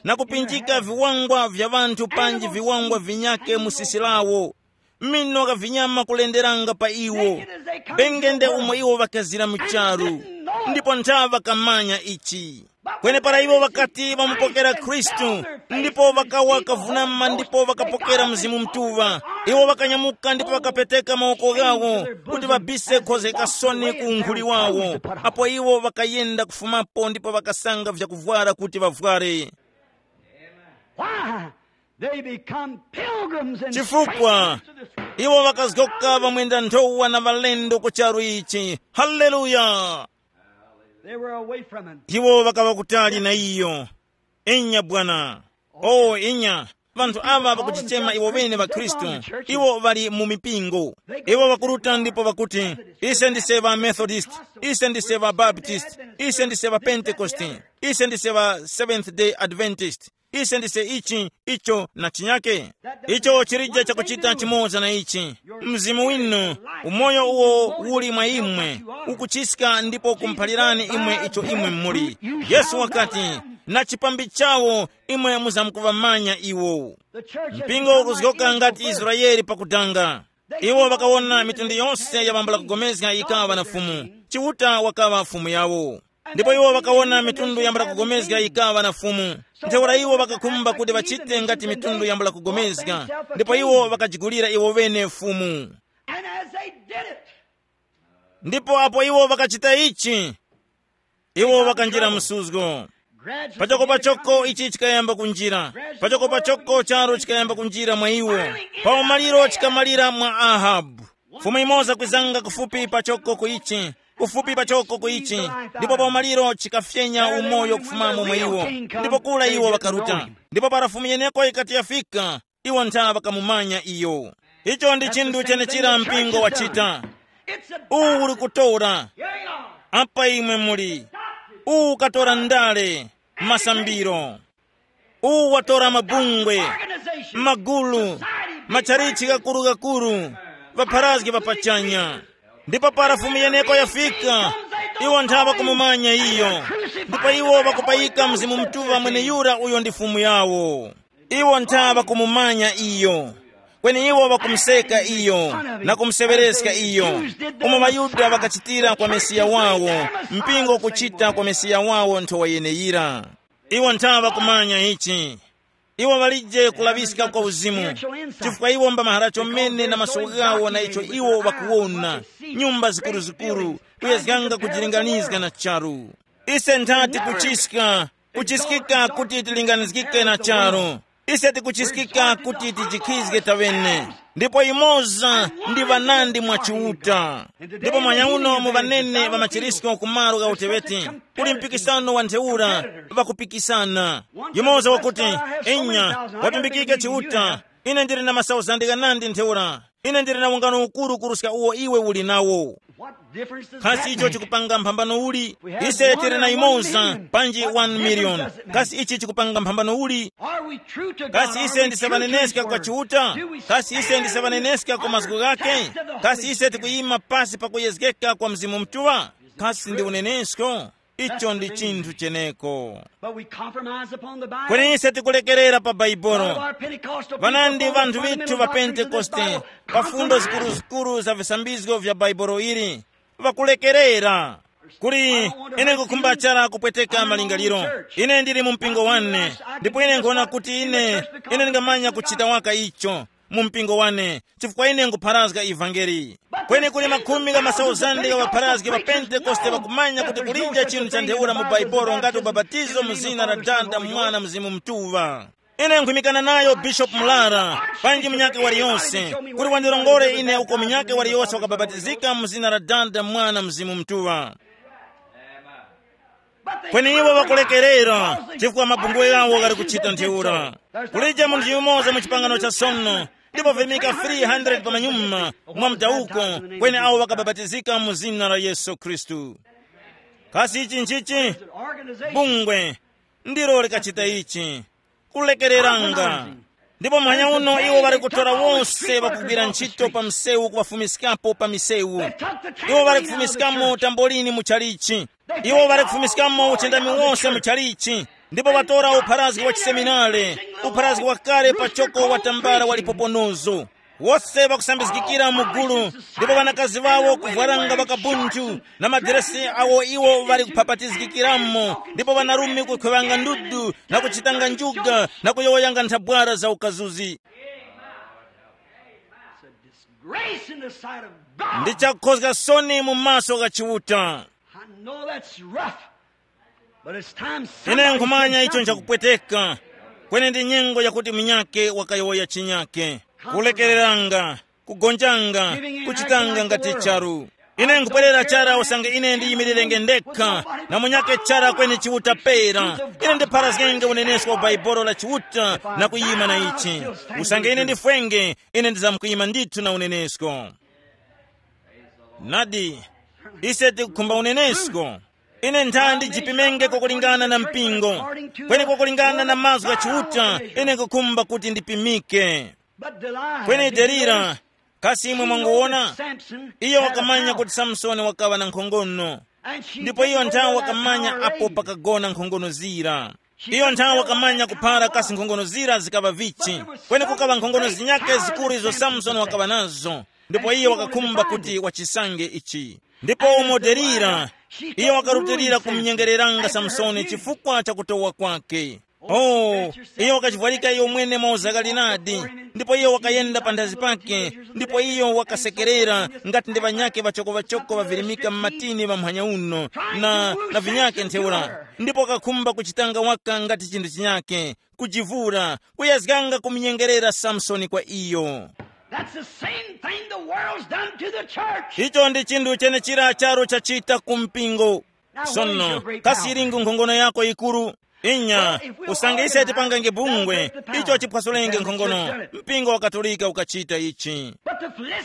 na kupinjika viwangwa vya ŵanthu panji viwangwa vinyake mu sisi lawo, mino gha vinyama kulenderanga pa iwo, bengende umo iwo ŵakazira mu charu, ndipo ntha ŵakamanya ichi. Kwenepara iwo ŵakati ŵamupokera Khristu, ndipo ŵakawa kavunama ndipo ŵakapokera Mzimu Mutuŵa. Iwo ŵakanyamuka ndipo ŵakapeteka mawoko ghawo kuti ŵabise khoze kasoni ku unkhuli wawo. Apo iwo ŵakayenda kufumapo ndipo ŵakasanga vyakuvwara kuti ŵavware. Why? They become pilgrims and chifukwa strangers to this world. Iwo ŵakazgoka ŵamwenda nthowa na ŵalendo ku charu ichi. Haleluya! They were away from him. Iwo ŵakaŵa kutali na iyo. Inya bwana. O inya, ŵanthu aŵa ŵakuchichema iwo ŵene ŵakhristu. Iwo ŵali mu mipingo. Iwo ŵakuruta ndipo ŵakuti, ise ndise ŵa Methodist, ise ndise ŵa Baptist, ise ndise ŵa Pentecost, ise ndise ŵa Seventh Day Adventist, ise ndise ichi, icho na chinyake. Icho chilije chakuchita chimoza na ichi. Mzimu winu, umoyo uwo uli mwa imwe, ukuchiska ndipo ukumuphalirani imwe icho imwe muli. Yesu wakati, na chipambi chawo, imwe muzamkuŵamanya iwo. Mpingo ukuzgoka ngati Israeli pakudanga. Iwo ŵakawona mitundu yonse ya ŵambula kugomezga yikaŵa na Fumu. Chiuta wakaŵa Fumu yawo. Ndipo iwo ŵakawona mitundu yambula kugomezga yikaŵa na Fumu. Ntheura iwo ŵakakhumba kuti ŵachite ngati mitundu yambula kugomezga, ndipo iwo ŵakajigulira iwo ŵene Fumu. And as they did it, ndipo apo iwo ŵakachita ichi, iwo ŵakanjira msuzgo. Pachoko pachoko ichi chikayamba kunjira. Pachoko pachoko charu chikayamba kunjira mwa iwo. Pa umaliro chikamalira mwa Ahabu. Fumu imoza kwizanga kufupi pachoko ku ichi, kufupi pachoko ku ichi, ndipo pa umaliro chikafyenya umoyo kufumamo mwa iwo. Ndipo kula iwo ŵakaruta. Ndipo para fumu yeneko ikati yafika, iwo ntha ŵakamumanya iyo. Icho ndi chinthu chenechira mpingo wachita. Uwu uli kutora. Apa imwe muli. Uwu ukatora ndale, masambiro. Uwu watora mabungwe, magulu, matchalichi gakuru-gakuru, ŵapharazgi ŵapachanya. Ndipo para fumu yeneko yafika, iwo ntha ŵakumumanya iyo. Ndipo iwo ŵakupayika Mzimu Mutuŵa mweneyura uyo ndi fumu yawo. Iwo ntha ŵakumumanya iyo. Kweni iwo ŵakumuseka iyo, na kumuseŵereska iyo, umo ŵaYuda ŵakachitira kwa Mesiya wawo, mpingo kuchita kwa Mesiya wawo nthowa yeneyira. Iwo ntha ŵakumanya ichi. Iwo ŵalije kulaŵiska kwa uzimu, chifukwa iwo mba mahara chomene na maso ghawo na icho iwo ŵakuwona, nyumba zikuruzikuru, kuyezganga kujilinganizga na charu. Ise nthati kuchiska, kuchiskika kuti tilinganizgike na charu. Ise tikuchiskika kuti tijikhizge taŵene. Ndipo imoza ndi ŵanandi mwa Chiuta. Ndipo mwanyauno mu ŵanene ŵa machirisko ku malo gha uteŵeti, kuli mpikisano wa ntheura, ŵakupikisana. Yumoza wakuti, inya, watumbikike Chiuta, ine ndili na masauzandi ghanandi ntheura. Ine ndili na ungano ukuru kuruska uwo iwe uli nawo. What difference does Kasi that icho make? Chikupanga mphambano uli? Ise tili na imoza, panji one million. Kasi ichi chikupanga mphambano uli? Are we true to God? Kasi ise ndisaŵaneneska kwa Chiuta? Kasi ise ndisaŵaneneska kwa mazgu ghake? Kasi ise tikuyima pasi pa kuyezgeka kwa Mzimu Mutuŵa? Kasi ndi unenesko? Icho ndi chinthu cheneko. But we compromise upon the Bible. Kweni ise tikulekerera pa Bhaibolo. Ŵanandi vanthu vithu va Pentekoste, pa fundo zikuruzikuru za visambizgo vya Bhaibolo ili, ŵakulekerera. Kuli, ine nkukhumba chara kupweteka malingaliro. Ine ndili mu mpingo wane, ndipo ine nkuona kuti ine, ine ndingamanya kuchita waka icho mu mpingo wane, chifukwa ine nkupharazga ivangeli. Kweni kuli makhumi gha masauzande gha ŵapharazgi ŵa Pentekoste ŵakumanya kuti kulije chinthu cha ntheura mu Baibolo ngati ubapatizo mu zina la Dada, Mwana, Mzimu Mutuŵa. Ine nkhwimikana nayo Bishop Mlara, panji munyakhe waliyonse, kuti wandirongore ine uko munyakhe waliyonse wakabapatizika mu zina la Dada, Mwana, Mzimu Mutuŵa. Kweni iwo ŵakulekerera, chifukwa mabungwe ghawo ghali kuchita ntheura. Kulije munthu yumoza mu chipangano cha sono, ndipo vimika three hundred pa manyuma mwa mdawuko, kweni awo ŵakabapatizika mu zina la Yesu Khristu. Kasi ichi nchichi? Bungwe ndilo likachita ichi, kulekereranga. Ndipo muhanya uno iwo ŵali kutora wose ŵakugwira ntchito pa msewu kuŵafumiskapo pa misewu. Iwo ŵali kufumiskamo tambolini mu chalichi. Iwo ŵali kufumiskamo uchindami wose mu chalichi. Ndipo ŵatora upharazgi wa chiseminare, upharazgi wakale pachoko wa tambala wa lipoponozo. Wose ŵakusambizgikira mu gulu, ndipo ŵanakazi ŵawo kuvwaranga ŵakabunthu, na madiresi awo iwo ŵali kuphapatizgikiramo, ndipo ŵanarume kukhwewanga ndudu, na kuchitanga njuga, na kuyowoyanga nthabwara za ukazuzi. It's a disgrace in the sight of God. Ndi chakukhozga soni mu maso gha Chiuta. I know that's rough, but it's time. Ine somebody nkhumanya said icho something. Nchakupweteka, kweni ndi nyengo yakuti munyake wakayowoya chinyake. Kulekereranga, kugonjanga, kuchitanga ngati charu. Ine nkubwerera chara usange ine ndiyimirirenge ndekha, na munyake chara kweni Chiuta pera. Ine ndipharazgenge unenesko wa Baibolo la Chiuta na kuyima na ichi. Usange ine ndifwenge, ine ndizamkuyima ndithu na unenesko. Nadi, ise tikukhumba unenesko. Ine nthandi ndijipimenge kwakulingana na mpingo, kweni kwakulingana na mazgu gha Chiuta, ine nkukhumba kuti ndipimike. Kweni Delila, kasi imwe mwanguwona? Iyo wakamanya kuti Samsoni wakaŵa na nkhongono, ndipo iyo nthawe wakamanya apo pakagona nkhongono zira. Iyo nthawe wakamanya kuphara kasi nkhongono zira zikaŵa vichi. Kweni kukaŵa nkhongono zinyake zikuru izo Samsoni wakaŵa nazo. Ndipo iye wakakhumba kuti wachisange ichi. Ndipo umo Delila, iyo wakarutilira kumnyengereranga Samsoni chifukwa cha kutowa kwake. Oh, iyo wakachivwarika iyo mwene mwa uzakalinadi. Ndipo iyo wakayenda panthazi pake. Ndipo iyo wakasekerera ngati ndi ŵanyake ŵachoko-ŵachoko ŵavirimika m'matini ŵamphanya uno, na, na vinyake ntheura. Ndipo wakakhumba kuchitanga waka ngati chinthu chinyake, kujivura, kuyazganga kumnyengerera Samsoni kwa iyo. That's the same thing the world's done to the church. Icho ndi chinthu chenechira charo chachita ku mpingo. Sono, kasi ilingu nkhongono yako yikuru? Inya, usange ise tipangange bungwe, icho chiphwasulenge nkhongono, mpingo wa Katolika ukachita ichi.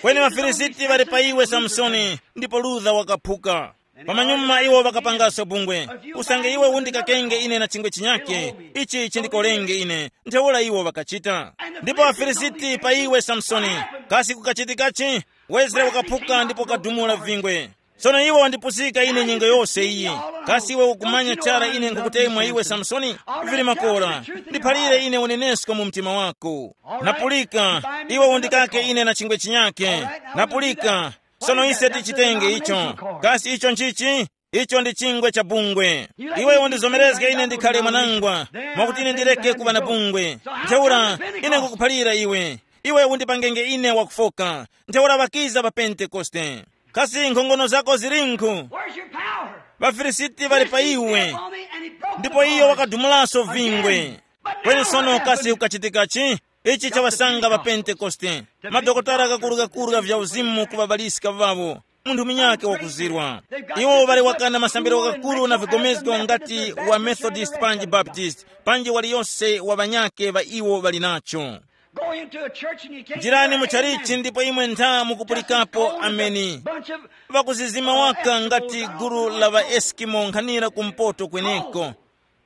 Kweni ŵaFilisiti ŵali pa iwe, Samsoni, ndipo Luther wakaphuka. Pamanyuma iwo ŵakapangaso bungwe. Usange iwe undikakenge ine na chingwe chinyake, ichi chindikolenge ine, ntheura iwo ŵakachita. Ndipo ŵaFilisiti pa iwe, Samsoni, kasi kukachitikachi? Wezere wakaphuka ndipo kadumula vingwe. Sono iwe wandipusika ine nyengo yose iyi. Kasi iwe ukumanya chara ine nkhukutemwa iwe, Samsoni? Vili makora. Ndiphalire ine unenesko mu mtima wako. Napulika, iwe undikake ine na chingwe chinyake. Napulika. Sono ise tichitenge icho. Kasi icho nchichi? Icho ndi chingwe cha bungwe. Iwe undizomerezge ine ndikhale mwanangwa, mwakuti ine ndireke kuŵa na bungwe. Ntheura, ine nkukuphalira iwe. Iwe undipangenge ine wakufoka. Ntheura ŵakiza pa Pentekoste. Kasi nkhongono zako zilinkhu? Where's your power? ВaFilisiti ŵali pa iwe. Ndipo iyo wakadumulaso vingwe. Kweni sono kasi kukachitikachi? Ichi chawasanga pa Pentekoste. Madokotala gakuru-gakuru ga vya uzimu kuŵabaliska vavo. Munthu munyake wakuzirwa. Iwo ŵali wakana masambiro ghakuru na vigomezgo ngati wa Methodist panji Baptist, panji waliyose wa ŵanyake ŵa iwo ŵali nacho. Go into a church and you can't njirani mu chalichi ndipo imwe ntha mukupulikapo ameni. Vakuzizima waka ngati gulu la ŵaeskimo nkhanira kumpoto kweneko.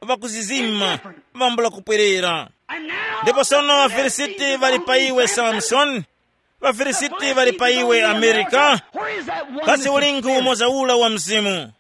Vakuzizima, vambula kupwerera. Ndipo sono ŵafilisiti ŵali pa iwe, Samsoni. ВaFilisiti ŵali pa iwe, Amerika. Kasi ulingi umoza ula wa mzimu?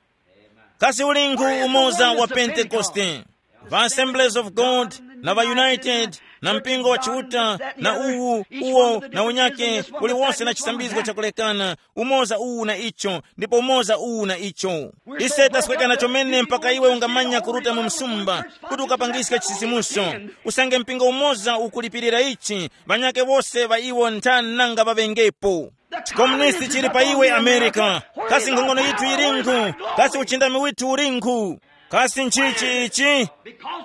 Kasi ulingi umoza wa Pentekoste? Va Assemblies of God, na va United, na mpingo wa Chiuta, na uwu, uwo, na unyake, uliwonse na chisambizgo chakulekana, umoza uwu na icho, ndipo umoza uwu na icho. Ise tasweka na chomene mpaka iwe ungamanya kuruta mu msumba, kuti ukapangiske chisisimuso. Usange mpingo umoza ukulipirira ichi, ŵanyake wose ŵa iwo ntha nanga ŵaŵengepo. Chikomunisti chili pa iwe, Amerika. Kasi nkhongono yithu yilinkhu? Kasi uchindami withu ulinkhu? Kasi nchichi ichi?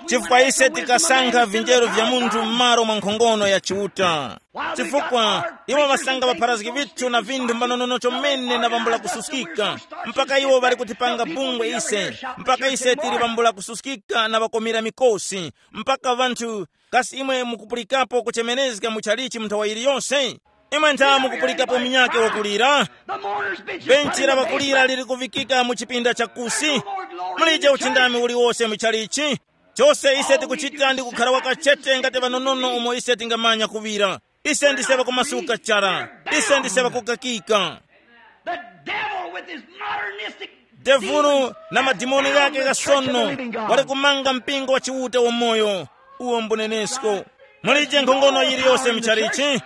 Chifukwa ise tikasankha vinjero vya munthu m'malo mwa nkhongono ya Chiuta. Chifukwa iwo ŵasanga ŵapharazgi vithu na vinthu mbanonono chomene na vambula kususkika, mpaka iwo ŵali kutipanga bungwe ise, mpaka ise tili vambula kususkika na ŵakomera mikosi, mpaka vanthu. Kasi imwe mukupulikapo kuchemerezga mu chalichi mu nthawa yiliyonse? Imwe ntha mukupulikapo munyake wakulira? Benchi la ŵakulira lili kuvikika mu chipinda cha kusi. Mulije uchindami uliwose mu chalichi. Chose ise tikuchita ndi kukhala wakachete ngati vanonono umo ise tingamanya kuŵira. Ise ndise ŵakumasuka chara. Ise ndise ŵakukakika. The devil with his modernistic devulu na madimoni ghake ghasono wali kumanga mpingo wa Chiuta wamoyo. Uwo mbunenesko. Mulije nkhongono yiliyose mchalichi.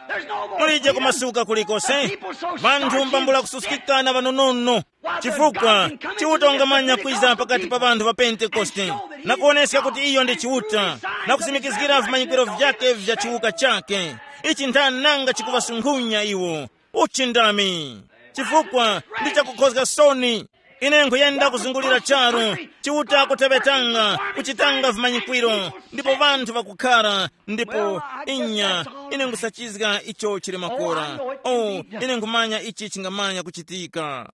Mulije kumasuka kulikose. Vanthu mbambula kususkika na vanonono. Chifukwa Chiuta wangamanya kwiza pakati pa vanthu va Pentekoste na kuwoneska kuti iyo ndi Chiuta, na kusimikizgira vimanyikiro vyake vya chiwuka chake. Ichi ntha nanga chikuŵasunkhunya iwo. Uchindami. Chifukwa ndi chakukhozga soni. Ine nkhuyenda kuzungulira charu, Chiuta kuteŵetanga, kuchitanga vimanyikwiro, ndipo vanthu vakukhara, ndipo inya, ine nkhusachizga icho chili makora. Oh, ine nkhumanya ichi chingamanya kuchitika.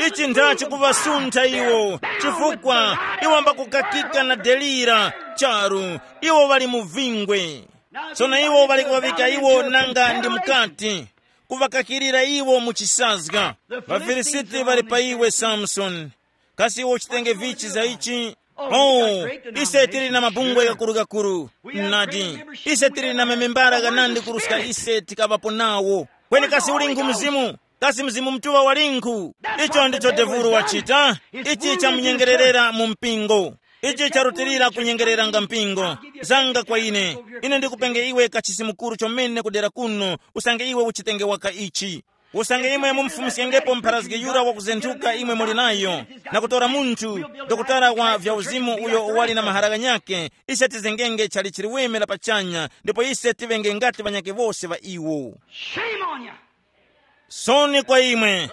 Ichi nda chikuŵasuntha iwo, chifukwa iwo ambakukakika na Delira charu, iwo ŵali mu vingwe. Sono iwo ŵali kuŵavika iwo nanga ndi mukati, kuŵakakirira iwo mu chisazga. ВaFilisiti ŵali pa iwe, Samsoni. Kasi iwe uchitenge vichi za ichi? Oh, ise tili na mabungwe gakuru-gakuru. Nadi, ise tili na mamembara ghanandi kuruska ise tikaŵapo nawo. Kweni kasi ulinkhu Mzimu? Kasi Mzimu Mutuŵa walinkhu? Icho ndicho devulu wachita. Ichi chamunyengererera mu mpingo. Ichi charutilira kunyengereranga mpingo. Zanga kwa ine. Ine ndikupenge iwe kachisi mukuru chomene kudera kuno, usange iwe uchitenge waka ichi. Usange imwe mumufumsyengepo mpharazgi yura wakuzenthuka imwe muli nayo, na kutora munthu, dokotala wa vya uzimu uyo wali na mahara ghanyakhe, ise tizengenge chali chiliweme la pachanya, ndipo ise tivenge ngati ŵanyakhe wose ŵa iwo. Shame on you. Soni kwa imwe.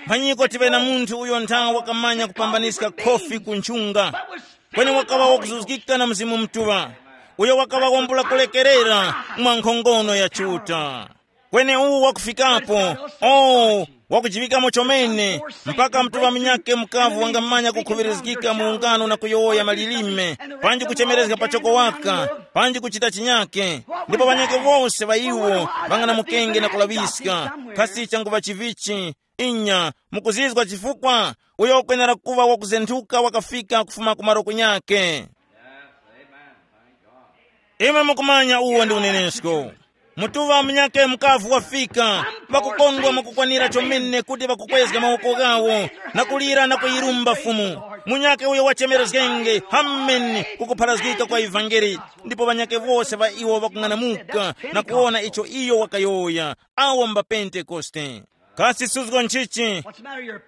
Mphanyiko tive na munthu uyo nthawa wakamanya kupambaniska khofi ku nchunga, kweni wakaŵa wakuzuzgika na Mzimu Mutuŵa, uyo wakaŵa wambula kulekerera mwa nkhongono ya Chiuta. Kweni uwu wakufikapo, oh, wakujiŵikamo chomene, mpaka mtuŵa munyakhe mukavu wangamanya kukhuŵirizgika mu ungano na kuyowoya malilime, panji kuchemerezga pachoko waka, panji kuchita chinyake, ndipo ŵanyakhe wose ŵa iwo ŵang'anamukenge na kulaŵiska. Kasi changuŵa chivichi? Inya, mukuzizwa chifukwa? Uyo ukwenera kuŵa wakuzenthuka wakafika kufuma ku malo kunyakhe. Imwe mukumanya uwo ndi unenesko. Mutuŵa munyakhe mukavu wafika, ŵakukondwa mwakukwanira chomene kuti ŵakukwezga mawoko ghawo na kulira na kuyirumba Fumu. Munyakhe uyo wachemerezgenge, hameni, kukupharazgika kwa ivangeli. Ndipo ŵanyakhe wose ŵa iwo ŵakung'anamuka na kuwona icho iyo wakayowoya. Awo mba Pentekoste. Kasi suzgo nchichi?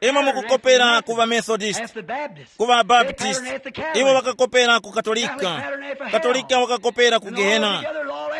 Imwe mukukopera ku ŵamethodist, ku ŵabaptist, iwo ŵakakopera ku katolika, katolika wakakopera ku gehena,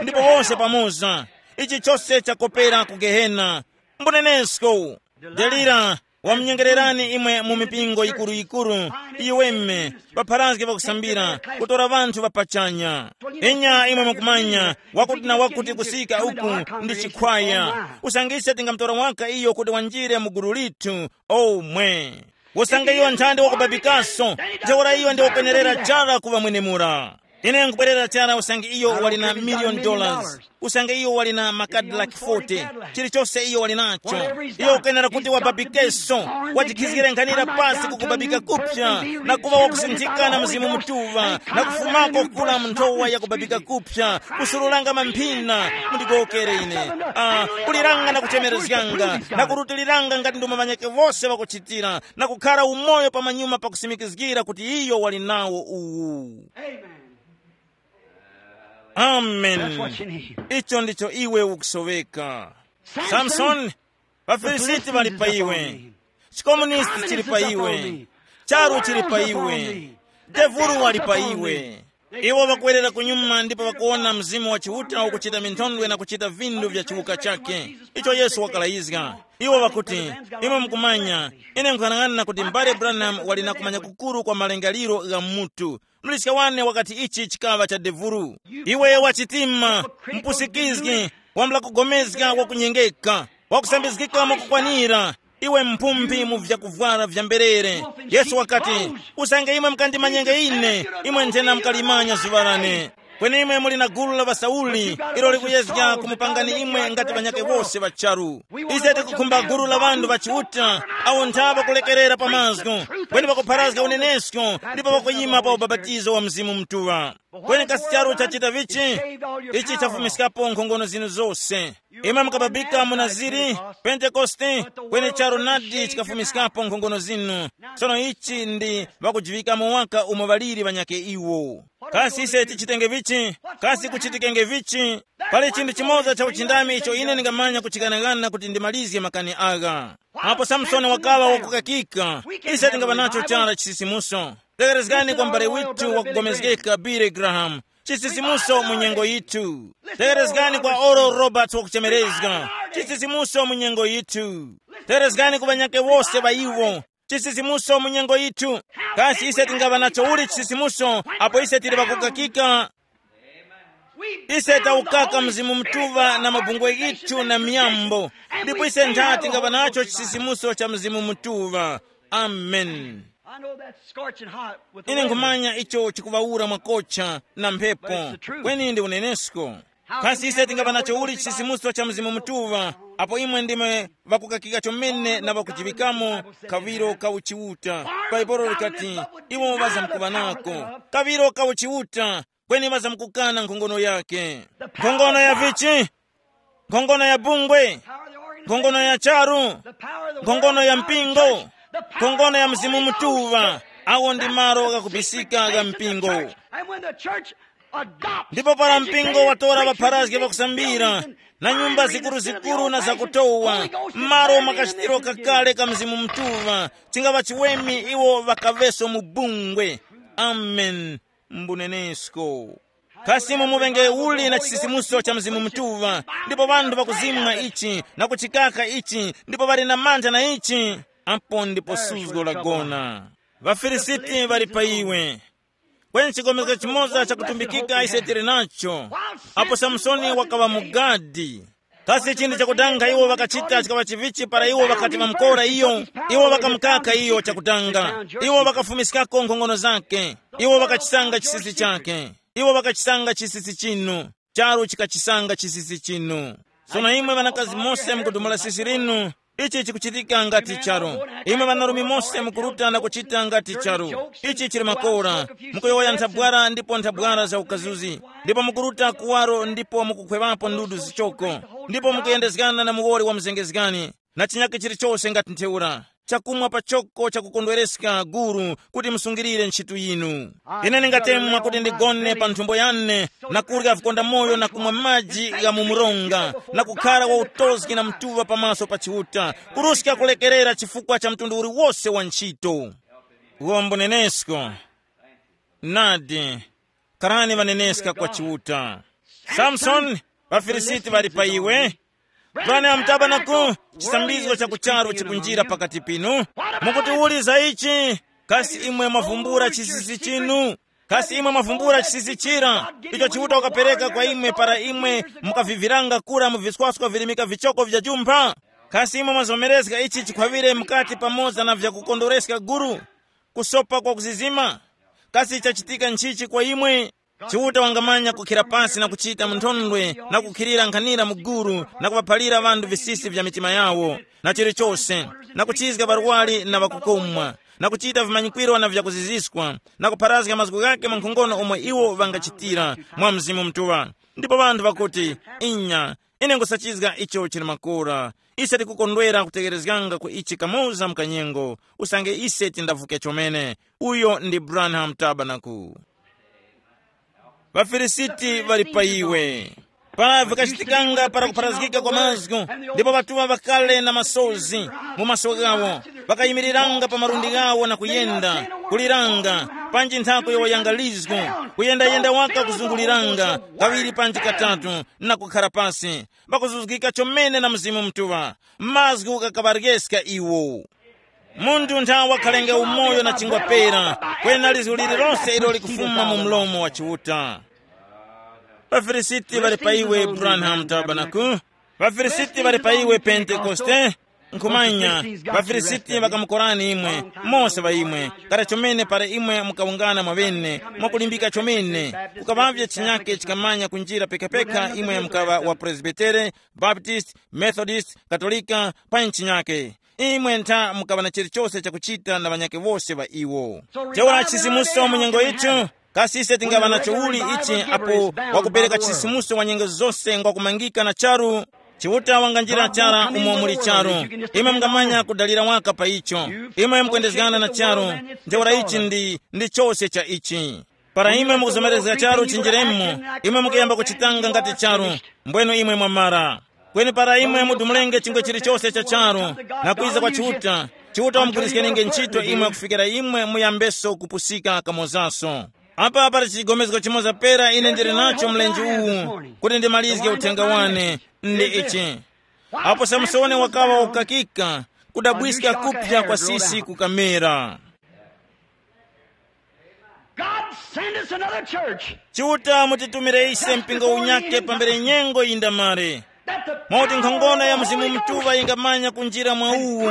ndipo wose pamoza, ichi chose chakopera ku gehena. Mbunenesko. Delira, wamnyengererani imwe mu mipingo yikuru-yikuru, iweme, ŵapharazgi ŵakusambira, kutora ŵanthu ŵapachanya. Enya imwe mukumanya, wakuti na wakuti kusika uku ndi chikhwaya. Usangise tingamutora waka iyo kuti wanjire mu gulu lithu. Omwe. Usange iyo nthandi wakubabikaso, ntheura iyo ndi wakwenerera chara kuŵa mwenemura. Ine nkubwerera chara usange iyo wali na million dollars, usange iyo wali na makadilaki forty, chilichose iyo wali nacho. Iyo ukenera kuti wababikeso, wajikhizgire nkhanira pasi kukubabika kupsa, na kuŵa wakusinthika na Mzimu Mutuŵa, na kufumako kukula mu nthowa ya kubabika kupsa, kusurulanga mamphina. Mundigowokere ine. Ah, kuliranga na kuchemerezganga na kurutiliranga ngati ndomwe ŵanyakhe wose ŵakuchitira, na kukhara umoyo pamanyuma pakusimikizgira kuti iyo wali nawo uwu. Amen. Amen. That's what you need. Icho ndicho iwe ukusoweka. Samson, samson, ŵafilisiti ŵali pa iwe. Chikomunisti chili pa iwe. Charu chili pa iwe. Devulu wali pa iwe. Iwo ŵakwerera kunyuma ndipo ŵakuwona Mzimu wa Chiuta ukuchita minthondwe na kuchita vinthu vya chiwuka chakhe, icho Yesu wakalayizga. Iwo ŵakuti, imwe mukumanya, ine nkhanang'ana kuti mbale Branham wali na kumanya kukuru kwa malingaliro gha mutu. Muliska wane wakati ichi chikaŵa cha devulu. Iwe wachitima, mpusikizgi, wambula kugomezga wakunyengeka, wakusambizgika mwakukwanira, iwe mphumbi mu vyakuvwara vya mberere. Yesu wakati, usange imwe mukandimanyenge ine, imwe nthena mukalimanya zuŵa lane. Kweni imwe muli na gulu la ŵasauli, ilo likuyezga kumupangani imwe ngati ŵanyakhe wose ŵa charu. Ise tikukhumba gulu la ŵanthu ŵa Chiuta, awo ntha ŵakulekerera pa mazgu, kweni ŵakupharazga unenesko, ndipo ŵakuyima pa ubapatizo wa Mzimu Mutuŵa. Kweni kasi charu chachita vichi? Ichi chafumiskapo nkhongono zinu zose. Imwe mukababika mu Naziri, Pentekoste, kweni charu nadi chikafumiskapo nkhongono zinu. Sono ichi ndi ŵakujiŵikamo waka umo ŵaliri ŵanyakhe iwo. Kasi ise tichitenge vichi? Kasi kuchitikenge vichi? Pali chinthu chimoza cha uchindami icho ine ndingamanya kuchikanangana kuti ndimalizge makani agha. Apo Samsoni wakaŵa wakukakika, ise tingaŵa nacho chara chisisimuso. Tegherezgani kwa m'bale withu wakugomezgeka Billy Graham. Chisisimuso mu nyengo yithu. Tegherezgani kwa Oral Roberts wakuchemerezga. Chisisimuso mu nyengo yithu. Tegherezgani ku ŵanyakhe wose ŵa iwo. Chisisimuso mu nyengo yithu. Kasi ise tingaŵa nacho uli chisisimuso apo ise tili ŵakukakika? Ise tawukaka Mzimu Mutuŵa na mabungwe ghithu na miyambo, ndipo ise ntha tingaŵa nacho chisisimuso cha Mzimu Mutuŵa. Amen. I know that scorching hot with the ine weather. Nkhumanya icho chikuŵawura mwakocha na mphepo. Kweni ndi unenesko. Kasi ise tingaŵa nacho uli chisisimuso cha Mzimu Mutuŵa apo imwe ndimwe ŵakukakika chomene na ŵakuchiŵikamo kaŵiro ka uchiuta? Bhaibuli likati, iwo ŵazamkuŵa nako kaŵiro ka uchiuta, kweni ŵazamkukana nkhongono yake. Nkhongono ya vichi? Nkhongono ya bungwe, nkhongono ya charu, nkhongono ya mpingo, nkhongono ya Mzimu Mutuŵa. Awo ndi malo ghakubisika gha mpingo. And when the church adopts ndipo para mpingo watora ŵapharazgi ŵakusambira na nyumba zikuruzikuru na zakutowa, m'malo mwa kachitiro kakale ka Mzimu Mutuŵa, chingava chiweme iwo ŵakaŵeso mu bungwe. Amen. Mbunenesko. Kasi imwe muvenge uli na chisisimuso cha Mzimu Mutuŵa, ndipo ŵanthu ŵakuzimwa ichi na kuchikaka ichi, ndipo ŵali na mantha na ichi, apo ndipo suzgo lagona. Ŵafilisiti ŵali pa iwe. Kweni chikomezgo chimoza chakutumbikika ise tili nacho. Apo Samsoni wakaŵa mugadi, kasi chinthu chakudanga iwo ŵakachita chikaŵa chivichi para iwo ŵakati ŵamukora iyo? Iwo ŵakamukaka iyo chakudanga. Iwo ŵakafumiskako nkhongono zake. Iwo ŵakachisanga chisisi chake. Iwo ŵakachisanga chisisi chinu. Charu chikachisanga chisisi chinu. Sono imwe ŵanakazi mose mukudumula sisi linu. Ichi chikuchitika ngati charu. Imwe ŵanarume mose mukuruta na kuchita ngati charu. Ichi chili makora. Mukuyowoya nthabwara ndipo nthabwara za ukazuzi. Ndipo mukuruta kuwaro ndipo mukukhweŵapo ndudu zichoko. Ndipo mukuyendezgana na muwoli wa mzengezgani na chinyakhe chilichose ngati ntheura. Chakumwa pachoko chakukondwereska guru kuti musungirire ntchitu yinu. Ine ndingatemwa kuti ndigone pa nthumbo yane na kurya vikondamoyo na kumwa maji gha mu mronga na kukhara wa utozgi na mtuŵa pamaso pa Chiuta, kuruska kulekerera chifukwa cha mtundu uliwose wa ntchito. Uwo mbunenesko. Nadi, karani ŵaneneska kwa Chiuta. Samsoni, ŵafilisiti ŵali pa iwe. Branham Tabernacle, chisambizgo cha kucharu chikunjira pakati pinu. Mukuti uli za ichi? Kasi imwe mwavumbula chisisi chinu? Kasi imwe mwavumbula chisisi chira icho Chiuta wakapereka kwa imwe para imwe mukaviviranga kura mu viswaskwa vilimika vichoko vya jumpha? Kasi imwe mwazomerezga ichi chikhwaŵire mukati pamoza na vyakukondwereska guru? Kusopa kwa kuzizima? Kasi chachitika nchichi kwa imwe? Chiuta wangamanya kukhira pasi na kuchita mu nthondwe na kukhirira nkhanira mu guru na kuŵaphalira ŵanthu visisi vya mitima yawo, na chilichose, na kuchizga ŵarwari na ŵakukomwa, na kuchita vimanyikwiro na vyakuziziskwa, na kupharazga mazgu ghake mwa nkhongono omwe iwo ŵangachitira mwa Mzimu Mutuŵa. Ndipo ŵanthu ŵakuti, inya, ine nkhusachizga icho chili makora. Ise tikukondwera kutegherezganga ku ichi kamoza mu kanyengo, usange ise tindavuke chomene. Uyo ndi Branham Tabernacle. Ŵafilisiti ŵali pa iwe. Para vikachitikanga para kupharazgika kwa mazgu, ndipo ŵatuŵa ŵakale na masozi mu maso ghawo, ŵakayimiriranga pa malundi ghawo na kuyenda, kuliranga, panji nthako yowoyanga lizgu, kuyendayenda waka kuzunguliranga kaŵiri panji katatu, na kukhara pasi, ŵakuzuzgika chomene na Mzimu Mutuŵa. Mazgu ghakaŵaryeska iwo. Munthu ntha wakhalenge umoyo na chingwa pera, kwena lizgu lililonse ilo likufuma mu mlomo wa Chiuta. Ŵafilisiti ŵali pa iwe, Branham Tabernacle. Ŵafilisiti ŵali pa iwe, Pentekoste. Nkhumanya, Ŵafilisiti ŵakamukorani imwe, mose ŵa imwe, kara chomene para imwe mukawungana mwaŵene, mwakulimbika chomene, kukaŵavye chinyake chikamanya kunjira pekapeka imwe mukaŵa wa Presbitere, Baptist, Methodist, Katolika, pa nchinyake. Imwe ntha mukaŵa na chilichose chakuchita na ŵanyakhe wose ŵa iwo. Ntheura chisimuso mu nyengo yithu, kasi ise tingaŵa nacho uli ichi apo wakupereka chisimuso wa nyengo zose ngwakumangika na charu? Chiuta wanganjira chara umo muli charu. Imwe mungamanya kudalira waka pa icho. Imwe mukwendezgana na charu. Ntheura ichi ndi, ndi chose cha ichi. Para imwe mukuzomerezga charu chinjiremo, imwe mukuyamba kuchitanga ngati charu, mbwenu imwe mwamara. Kweni para imwe mudumulenge chingwe chilichose cha charu na kwiza kwa Chiuta, Chiuta wamugwiriskenge ntchito imwe kufikira imwe muyambeso kupusika kamozaso. Apa pali chigomezgo chimoza pera ine ndili nacho mlenje uwu kuti ndimalizge uthenga wane, ndi ichi. Apo Samsoni wakaŵa wakukakika, kudabwiska kupya kwa sisi kukamera. God, send us another church. Chiuta mutitumire ise mpingo unyake pambere nyengo yindamare. Mwakuti nkhongono ya Mzimu Mutuŵa yingamanya kunjira mwa uwu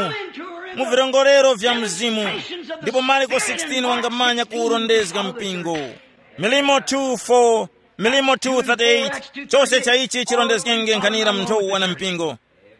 mu virongorero vya Mzimu. Ndipo Marko sixteen wangamanya kuwurondezga mpingo. Milimo two four, Milimo two thirty-eight, chose cha ichi chirondezgenge nkhanira mu nthowa na mpingo.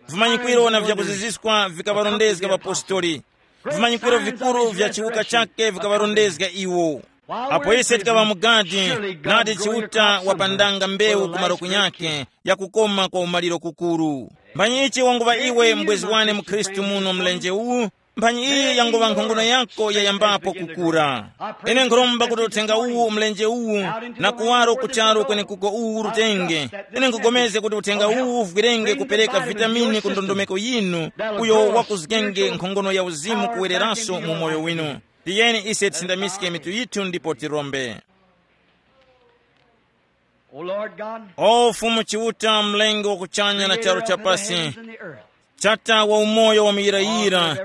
Vimanyikwiro na vyakuziziskwa vikaŵarondezga ŵapostoli. Vimanyikwiro vikuru vya chiwuka chake vikaŵarondezga iwo. Apo ise tikaŵa mu gadi, nadi Chiuta wapandanga mbewu ku malo kunyakhe ya kukoma kwa umaliro kukuru. Mphanyi ichi wanguŵa iwe mbwezi wane mu Khristu muno mlenje uwu, Mphanyi iyi yanguŵa nkhongono yako yayambapo kukura. Ine nkhuromba kuti uthenga uwu, mlenje uwu, na kuwaro ku charu kwenekuko uwu urutenge. Ine nkhugomezga kuti uthenga uwu uvwirenge kupereka vitamini ku ndondomeko yinu, uyo wakuzgenge nkhongono ya uzimu kuwereranso mu moyo winu. Tiyeni ise tisindamiske mitu yithu ndipo tirombe. O Lord God, o Fumu Chiuta, mlengi wa kuchanya na charu chapasi, chata wa umoyo wa muyirayira,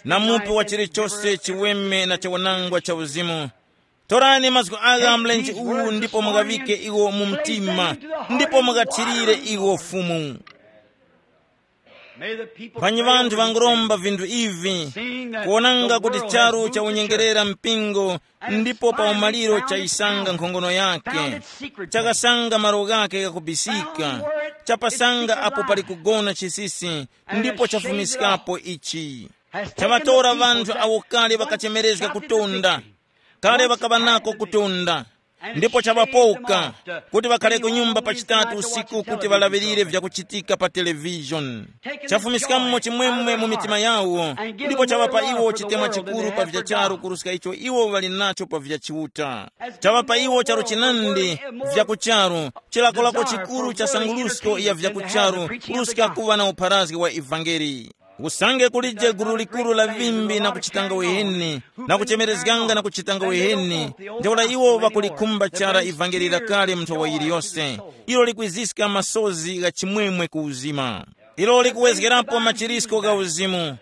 na mupi wa chilichose chiweme na chawanangwa cha uzimu. Torani mazgu agha mlenje uwu ndipo mughawike iwo mu mtima, ndipo mughathirire iwo Fumu. Mphanyi ŵanthu ŵanguromba vinthu ivi, kuwonanga kuti charu chawunyengerera mpingo, ndipo pa umaliro chayisanga nkhongono yake, chakasanga malo ghake ghakubisika, chapasanga apo pali kugona chisisi, ndipo chafumiskapo ichi. Chaŵatora ŵanthu awo kale ŵakachemerezga kutonda, kale ŵakaŵa nako kutonda, ndipo chaŵapoka kuti ŵakhare ku nyumba pa chitatu usiku kuti ŵalaŵirire vyakuchitika pa televishoni. Chafumiskamo chimwemwe mu mitima yawo, ndipo chaŵapa iwo chitemwa chikuru pa vya charu kuruska icho iwo ŵali nacho pa vya Chiuta. Chaŵapa iwo charu chinandi vya kucharu, chilakolako chikuru cha sangulusko ya vya kucharu kuruska kuŵa na upharazgi wa ivangeli. Usange kulije gulu likuru la vimbi na kuchitanga uheni, na kuchemerezganga na kuchitanga uheni, ntheura iwo ŵakulikhumba chara ivangeli lakale mu nthowa yiliyose, ilo likwiziska masozi gha chimwemwe ku uzima. Ilo likuwezgerapo machirisko gha uzimu.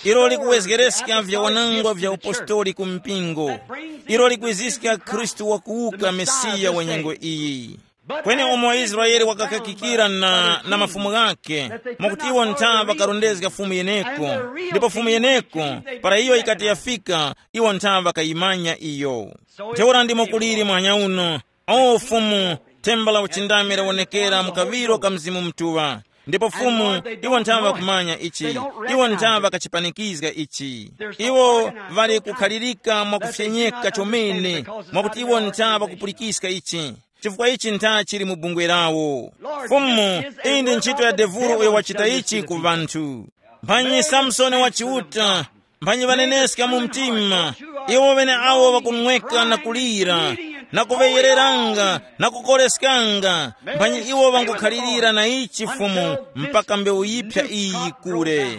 Ilo likuwezgereska vyawanangwa vya upostoli ku mpingo. Ilo likwiziska Khristu wakuwuka, Mesiya wa nyengo iyi. Kweni umo Israele wakakakikira na, na mafumu ghakhe, mwakuti iwo ntha ŵakarondezga fumu yeneko, ndipo fumu yeneko, para iyo yikati yafika, iwo ntha ŵakayimanya iyo. Ntheura ndimo kuliri mwanya uno, o Fumu, themba la uchindami lawonekera mu kaŵiro ka Mzimu Mutuŵa. Ndipo Fumu, iwo ntha ŵakumanya ichi, iwo ntha ŵakachipanikizga ichi. Iwo ŵali kukhalirika mwakufyenyeka chomene, mwakuti iwo ntha ŵakupulikiska ichi. Chifukwa ichi ntha chili mu bungwe lawo. Fumu, iyi ndi ntchito ya devuro uyo wachita ichi ku ŵanthu. Mphanyi Samsoni wa Chiuta, mphanyi ŵaneneska mu mtima, iwo ŵene awo ŵakunweka na kulira, na kuŵeyereranga, na kukoreskanga, mphanyi iwo ŵangukhalirira na ichi Fumu mpaka mbewu yiphya iyi yikure.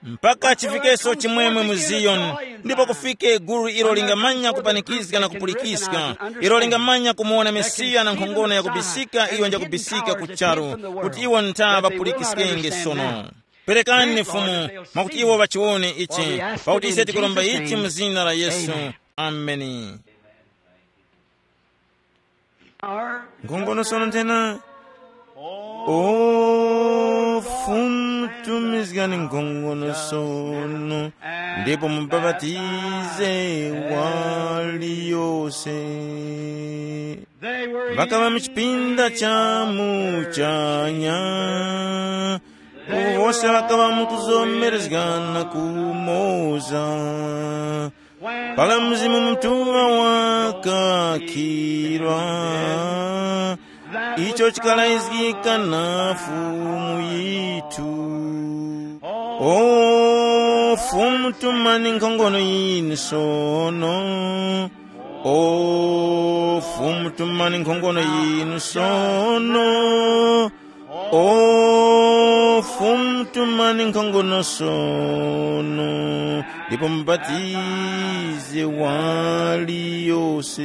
Mpaka chifikeso chimwemwe mu Ziyoni, ndipo kufike gulu ilo lingamanya kupanikizga na kupulikiska, ilo lingamanya kumuwona Mesiya na nkhongono yakubisika iyo njakubisika ku charu, kuti iwo ntha ŵapulikiskenge sono. Perekani Fumu, mwakuti iwo ŵachiwone ichi, pakuti ise tikuromba ichi mu zina la Yesu. Ameni. Nkhongono sono nthena. O Fumu, tumizgani nkhongono sono, ndipo mubapatize waliyose. Ŵakaŵa mu chipinda cha muchanya, uwo wose ŵakaŵa mukuzomerezgana kumoza. Para Mzimu Mutuŵa wakakhira, icho chikalayizgika na Fumu yithu. O Fumu, tumani nkhongono yinu sono. O Fumu, tumani nkhongono yinu sono. O Fumu, tumani nkhongono sono, ndipo mubatize waliyose.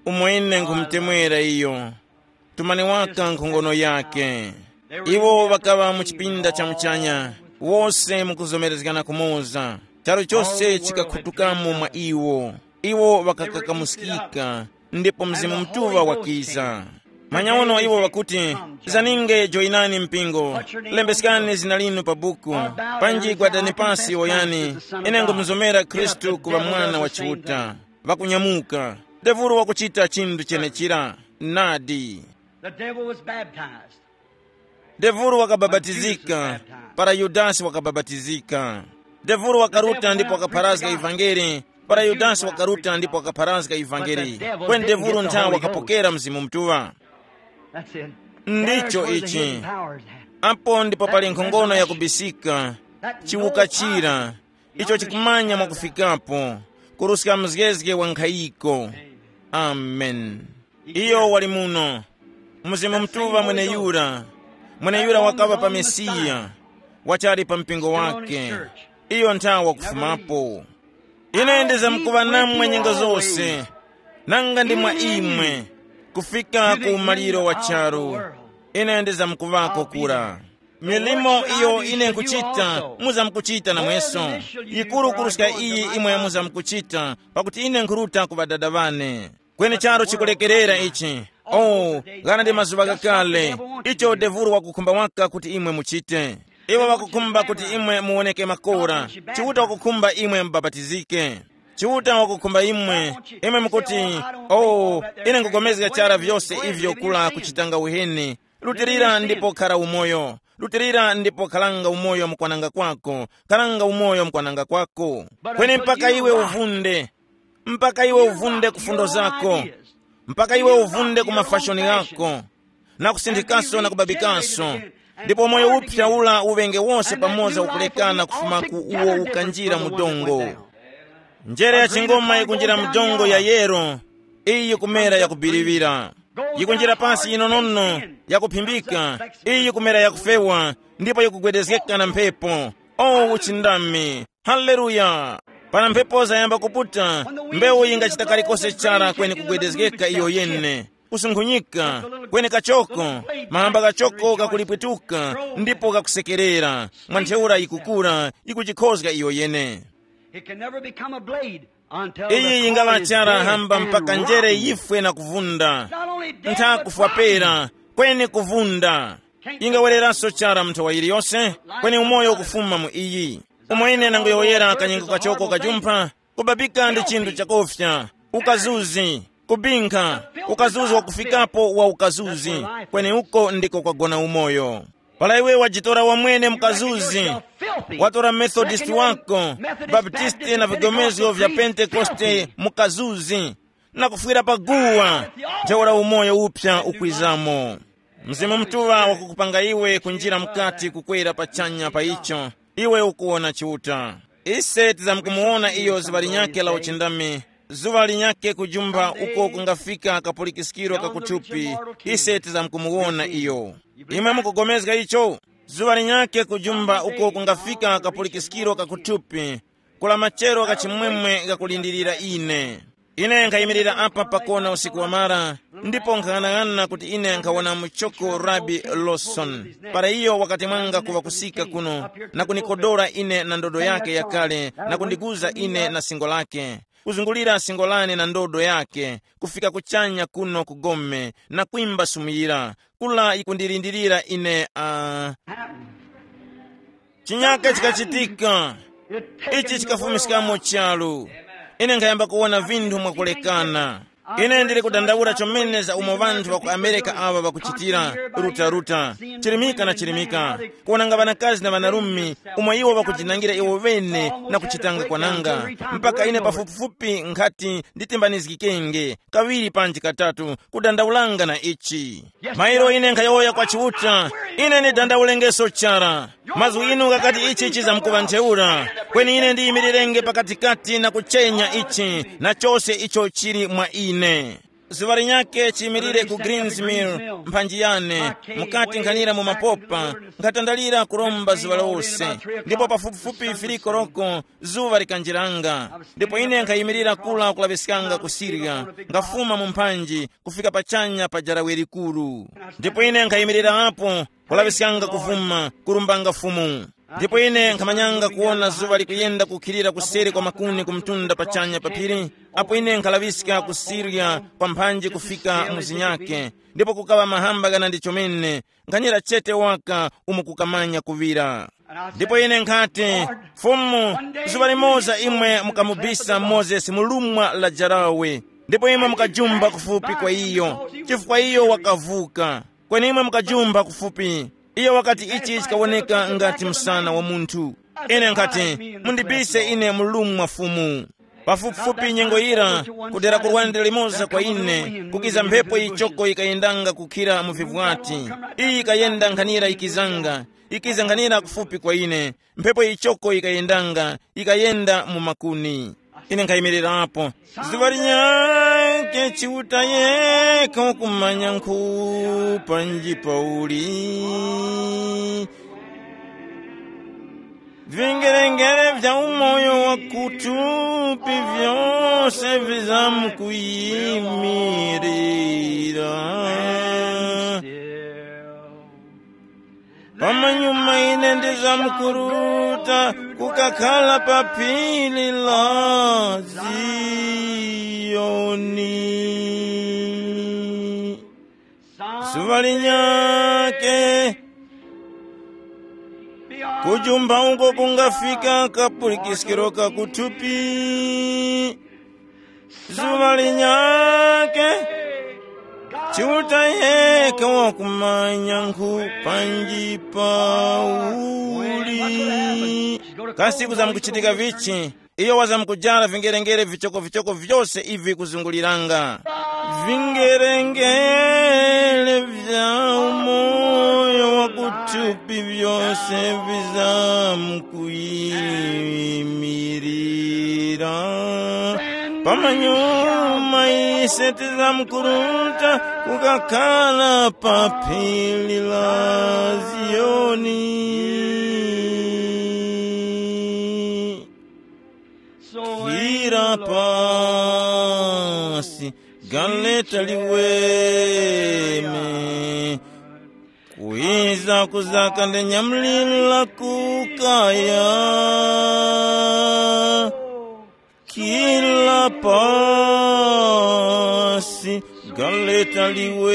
Umwene nkhumutemwera iyo. Tumani waka nkhongono yake. Iwo ŵakaŵa mu chipinda cha muchanya, wose mukuzomerezgana kumoza. Charu chose chikakhutukamo mwa iwo. Iwo ŵakakakamuskika, ndipo Mzimu Mutuŵa wakiza. Manyauno iwo ŵakuti, zaninge joyinani mpingo, lembeskani zina linu pa buku, panji gwadani pasi woyani, ine ngumuzomera Khristu kuŵa Mwana wa Chiuta. Ŵakunyamuka. Devuro wakuchita chinthu chenechira. Nadi. The devil was baptized. Devuro wakabapatizika, para Yudasi wakabapatizika. Devuro wakaruta ndipo wakapharazga ivangeli, para Yudasi wakaruta ndipo wakapharazga ivangeli. Kweni devuro ntha wakapokera Mzimu Mutuŵa. That's it. Ndicho ichi. Apo ndipo pali nkhongono yakubisika. Chiwuka chira, icho chikumanya mwakufikapo, kuruska mzgezge wa nkhayiko. Amen. Iyo wali muno. Mzimu Mutuŵa mweneyura, mweneyura wakaŵa pa Mesiya, wachali pa mpingo wake. Iyo nthawa kufumapo. Ine ndizamkuŵa namwe nyengo zose, nanga ndi mwa imwe, kufika ku umaliro wa charu. Ine ndizamkuŵako kura. Milimo iyo ine nkuchita, muzamkuchita namweso. Yikuru kuruska iyi imwe muzamkuchita, pakuti ine nkhuruta ku ŵadada ŵane. Kweni charo chikulekerera ichi. Oh, ghana ndi mazuŵa ghakale, icho devuru wakukhumba waka kuti imwe muchite. Iwo wakukhumba kuti imwe muwoneke makora. Chiuta wakukhumba imwe mubapatizike. Chiuta wakukhumba imwe, imwe mukuti, oh, ine nkugomezga chara vyose ivyo kula kuchitanga uheni. Lutirira ndipo khara umoyo. Lutirira ndipo kharanga umoyo mukwananga kwako. Kharanga umoyo mukwananga kwako. Kweni mpaka iwe uvunde, mpaka iwe uvunde ku fundo zako, mpaka iwe uvunde ku mafashoni ghako, na kusinthikaso na kubabikaso, ndipo moyo uphya ula uŵenge wose pamoza ukulekana kufuma ku uwo ukanjira mu dongo. Njere ya chingoma yikunjira mu dongo ya yero, iyi yikumera yakubiriwira. Yikunjira pasi yinonono, yakuphimbika, iyi yikumera yakufewa, ndipo yikugwedezgeka na mphepo. O uchindami! Haleluya! Para mphepo zayamba kuputa, mbewu yingachita kalikose chara kweni kugwedezgeka iyo yene, kusunkhunyika, kweni kachoko, mahamba ghachoko ghakulipwituka, ndipo ghakusekerera. Mwa ntheura yikukura, yikujikhozga iyo yene. It can never become a blade until the Iyi yingaŵa chara hamba mpaka njere yifwe na kuvunda. Not only dead, ntha but kufwa rotten. Pera, kweni kuvunda. Ingawereranso chara mnthawa yiliyonse, kweni umoyo ukufuma mu iyi. Umo ine nangoyowoyera kanyengo kachoko kachumpha, kubabika ndi chinthu chakofya, ukazuzi, kubinkha, ukazuzi wakufikapo wa ukazuzi, kweni uko ndiko kwagona umoyo. Para iwe wajitora wamwene mukazuzi, watora Methodist wako, Baptisti na vigomezgo vya Pentekoste mukazuzi, na kufwira pa guwa, ntheura umoyo uphya ukwizamo. Mzimu Mutuŵa wakukupanga iwe kunjira mukati kukwera pachanya pa icho, iwe ukuwona Chiuta. Ise tizamkumuwona iyo zuŵa linyakhe la uchindami, zuŵa linyakhe kujumpha uko kungafika kapulikiskiro ka kuthupi, ise tizamkumuwona iyo. Imwe mukugomezga icho? Zuŵa linyakhe kujumpha uko kungafika kapulikiskiro ka kuthupi, kula machero gha chimwemwe ghakulindirira ine. Ine nkhayimirira apa pakona usiku wamara, ndipo nkhang'anang'ana kuti ine nkhawona muchoko Rabi Lawson. Para iyo wakati mwanga kuŵa kusika kuno, na kunikodora ine na ndodo yake yakale, na kundiguza ine na singo lake, kuzungulira singo lane na ndodo yake, kufika kuchanya kuno ku gome, na kwimba sumuyira, kula yikundilindirira ine. Uh, chinyake chikachitika. Ichi chikafumiskamo charu. Ine nkhayamba kuwona vinthu mwakulekana. Ine ndili kudandaula chomene za umo vanthu va ku Amerika awa ŵakuchitira, ruta-ruta, chirimika na chirimika, kuwonanga ŵanakazi na ŵanarume, umo iwo ŵakujinangira iwo ŵene na kuchitanga kwananga, mpaka ine pafupifupi nkhati nditimbanizgikenge kaŵiri panji katatu, kudandaulanga na ichi. Mairo ine nkhayowoya kwa Chiuta, ine ndidandaulengeso chara. Mazgu inu ghakati ichi chizamkuŵa ntheura, kweni ine ndiyimirirenge pakatikati na kuchenya ichi na chose icho chili mwa ine. Zuŵa linyakhe chiyimirire ku Greens Mill, mphanji yane, mukati nkhanira mu mapopa, nkhatandalira kuromba zuŵa lose, ndipo pafupifupi firiko roko zuŵa likanjiranga. Ndipo ine nkhayimirira kula kulaŵiskanga ku Siriya, ngafuma mu mphanji kufika pachanya pa jarawe likuru. Ndipo ine nkhayimirira apo, kulaŵiskanga kuvuma, kurumbanga Fumu. Ndipo ine nkhamanyanga kuwona zuŵa likuyenda kukhilira kuseri kwa makuni ku mtunda pachanya pa phiri, apo ine nkhalaŵiska ku Siriya kwa mphanji kufika mu zinyakhe, ndipo kukaŵa mahamba ghana ndi chomene, nkhanyera chete waka umo kukamanya kuŵira. Ndipo ine nkhati, Fumu, zuŵa limoza imwe mukamubisa Mozesi mu lumwa la jarawe, ndipo imwe mukajumba kufupi kwa iyo, chifukwa iyo wakavuka. Kweni imwe mukajumba kufupi. Iyo wakati ichi chikawoneka ngati msana wa munthu. Ine nkhati, mundibise ine mu lumwa Fumu. Pafupifupi nyengo yira, kudera ku lwande limoza kwa ine, kukiza mphepo yichoko yikayendanga kukhira mu vivwati. Iyi yikayenda nkhanira yikizanga, yikiza nkhanira kufupi kwa ine. Mphepo yichoko yikayendanga, yikayenda mu makuni. Ine nkhayimirirapo. Zuŵa linyakhe Chiuta yekha wakumanya nkhu panji pauli. Vingerengere vya umoyo wa kutupi vyose vizamkuyimirira. Pamanyuma ine ndizamkuruta kukakhala pa phiri la Ziyoni. Zuŵa linyakhe, kujumba uko kungafika kapulikiskiro ka kuthupi. Zuŵa linyakhe, Chiuta yekha wakumanya nkhu panji pauli. Kasi kuzamkuchitika vichi? Iyo wazamkujara vingerengere vichokovichoko vyose ivi kuzunguliranga. Vingerengere vya umoyo wa kuthupi vyose vizamkuyimirira. Pamanyuma ise tizamkuruta kukakhala pa phiri la Ziyoni. Ira pasi, galeta liweme. Kwiza kuzaka ndi nyamulila kukaya. Kila pasi, galeta liweme.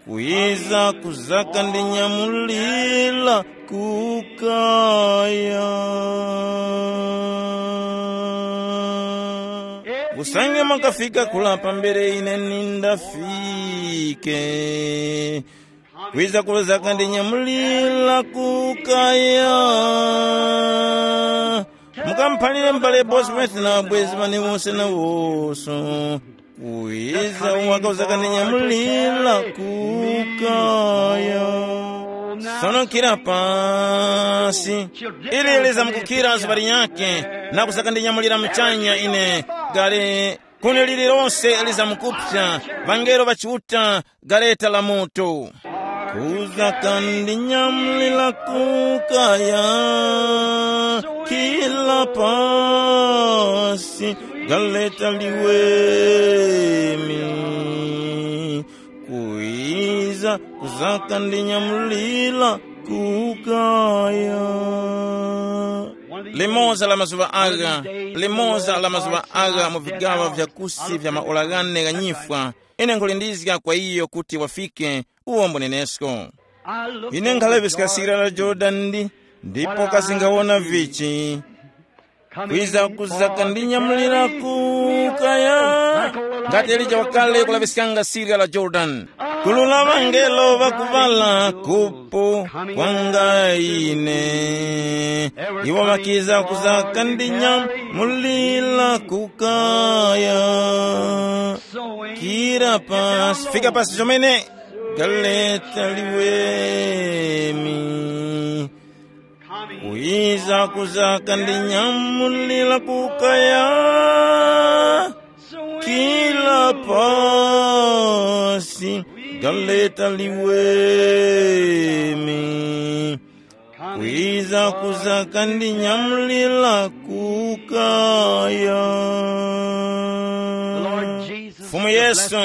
Kwiza kuzaka ndi nyamulila kukaya. Usange makafika kula pambere ine nindafike. Kwiza kuzaka ndi nyamulila kukaya. Mukamphalire m'bale Bosworth na abwezi ŵane wose na wose. Kwiza waka uzaka ndi nyamulila kukaya. Sono kira pasi. Ili lizamkukhira zuŵa linyakhe, na kuzaka ndi nyamulira muchanya ine. Gale, kuni lililonse lizamkupsa, ŵangelo ŵa Chiuta, gareta la moto. Kuzaka ndi nyamulira kukaya, kila pasi, galeta liweme. Kwiza kuzaka ndi nyamulira kukaya. Limoza la mazuŵa agha, limoza la mazuŵa agha mu vigaŵa vya kusi vya maora ghane gha nyifwa, ine nkhulindizga kwa iyo kuti wafike uwo mbunenesko. Ine nkhalaŵiska sira la Jorodani ndi, ndipo kasi nkhawona vichi. Kwiza kuzaka ndi nyamulira kukaya. Ngati Elija wakale kulaŵiskanga sirya la Jorodani. Gulu la ŵangelo ŵakuŵala kupo kwanga ine. Iwo ŵakiza kuzaka ndi nyamulira kukaya. Kira pasi, fika pasi chomene. Galeta liweme. Kwiza kuzaka ndi nyamulira kukaya. Kila pasi, galeta liweme. Kwiza kuzaka ndi nyamulira kukaya. Fumu Yesu,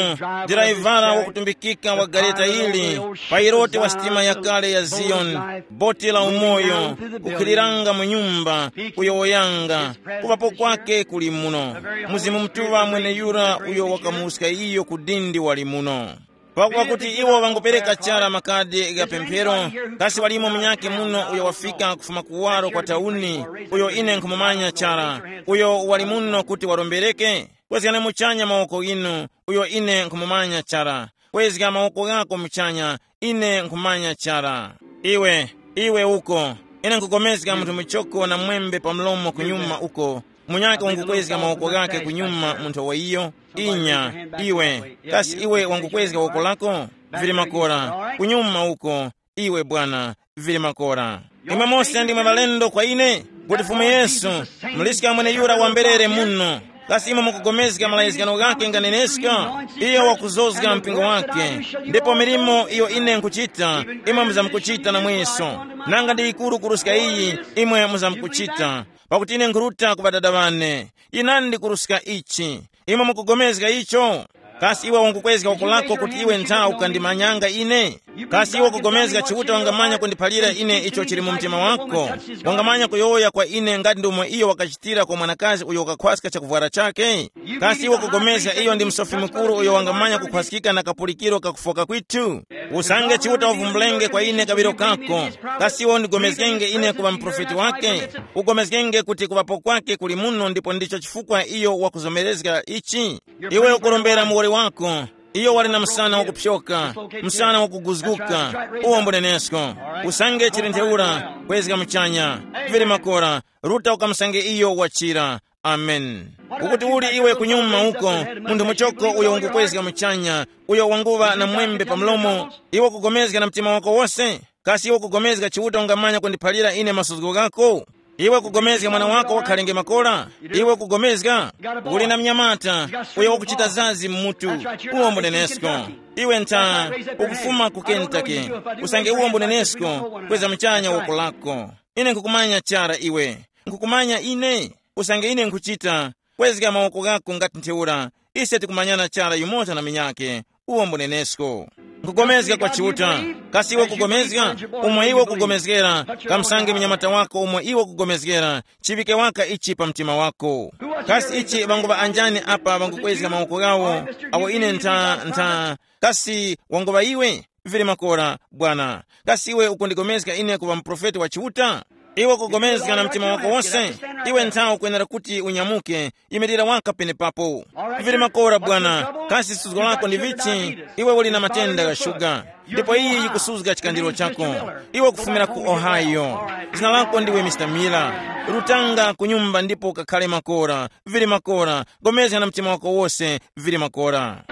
diraivara wakutumbikika wa gareta ili, pailote wa sitima yakale ya Ziyoni, boti la umoyo, kukhiliranga mu nyumba, kuyowoyanga, kuŵapo kwake kuli muno. Mzimu Mutuŵa mweneyura uyo wakamuwuska iyo ku dindi wali muno. Pakuti iwo ŵangupereka chara makadi gha pemphero, kasi walimo munyakhe muno uyo wafika kufuma kuwaro kwa tauni, uyo ine nkhumumanya chara, uyo wali muno kuti warombereke? Kwezgani muchanya mawoko ghinu, uyo ine nkhumumanya chara. Kwezga mawoko ghako muchanya, ine nkhumanya chara. Iwe, iwe uko, Ine nkukomezga munthu muchoko na mwembe pa mlomo kunyuma uko, munyake wangukwezga mawoko ghake kunyuma, munthu wa iyo. Inya, iwe, kasi iwe wangukwezga woko lako? Vili makora, kunyuma uko, iwe bwana, vili makora. Imwe mose ndimwe ŵalendo kwa ine, kuti Fumu Yesu, muliska mwene yura wamberere muno. Kasi imwe mukugomezga malayizgano ghake nganeneska? Iyo wakuzozga mpingo wake, ndipo milimo iyo ine nkuchita, imwe muzamkuchita namweso. Nanga ndi yikuru kuruska iyi, imwe muzamkuchita, pakuti ine nkhuruta ku Ŵadada ŵane. Yinandi kuruska ichi. Imwe mukugomezga icho? Kasi iwe ungukwezga woko lako kuti iwe ntha ukandimanyanga ine? Kasi iwe ukugomezga Chiuta wangamanya kundiphalira ine icho chili mu mtima wako? Wangamanya kuyowoya kwa ine ngati ndomwe iyo wakachitira kwa mwanakazi uyo wakakhwaska chakuvwara chake? Kasi iwe ukugomezga iyo ndi Msofi Mukuru uyo wangamanya kukhwaskika na kapulikiro kakufoka kwithu? Usange Chiuta wavumbulenge kwa ine kaŵiro kako, kasi iwe undigomezgenge ine kuŵa muprofeti wake? Ugomezgenge kuti kuŵapo kwake kuli muno ndipo ndicho chifukwa iyo wakuzomerezga ichi. Iwe ukurombera muwoli wako, iyo wali na msana wakupyoka, msana wakuguzguka. Uwo mbunenesko. Usange chili ntheura, kwezga muchanya. Vili makora, ruta ukamusange iyo wachira. Amen. Ukuti uli iwe kunyuma uko, munthu muchoko uyo ungukwezga muchanya, uyo wanguŵa na mwembe pa mlomo, iwe ukugomezga na mtima wako wose? Kasi iwe ukugomezga Chiuta ungamanya kundiphalira ine masuzgo ghako? Iwe ukugomezga mwana wako wakhalenge makora? Iwe ukugomezga? Uli na mnyamata uyo wakuchita zazi mmutu. Uwo mbunenesko. Iwe ntha ukufuma ku Kentucky. Usange uwo mbunenesko, kweza muchanya woko lako. Ine nkukumanya chara iwe. Nkukumanya ine. Usange ine nkuchita, kwezga mawoko ghako ngati ntheura. Ise tikumanyana chara yumoza na minyake. Uwo mbunenesko. Nkugomezga kwa Chiuta. Kasi iwe kugomezga? Umwe iwe kugomezgera, kamsange mnyamata wako umwe iwe kugomezgera, chiŵike waka ichi pa mtima wako. Kasi ichi ŵanguŵa anjani apa ŵangukwezga mawoko ghawo, awo ine ntha ntha kasi wanguŵa iwe? Vili makora, bwana. Kasi iwe ukundigomezga ine kuŵa muprofeti wa Chiuta? Iwe ukugomezga na mtima wako wose? Iwe nthawi ukwenera kuti unyamuke, yimirira waka penepapo. Vili makora, bwana. Kasi suzgo lako ndi vichi? Iwe uli na matenda gha shuga, ndipo iyi yikusuzga chikandiro chako. Iwe ukufumira ku Ohio. Zina lako ndiwe Mr Miller. Rutanga ku nyumba ndipo ukakhale makora. Vili makora. Gomezga na mtima wako wose. Vili makora.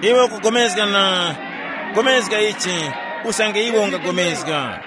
Iwe ukugomezga na gomezga ichi, usange iwe ungagomezga.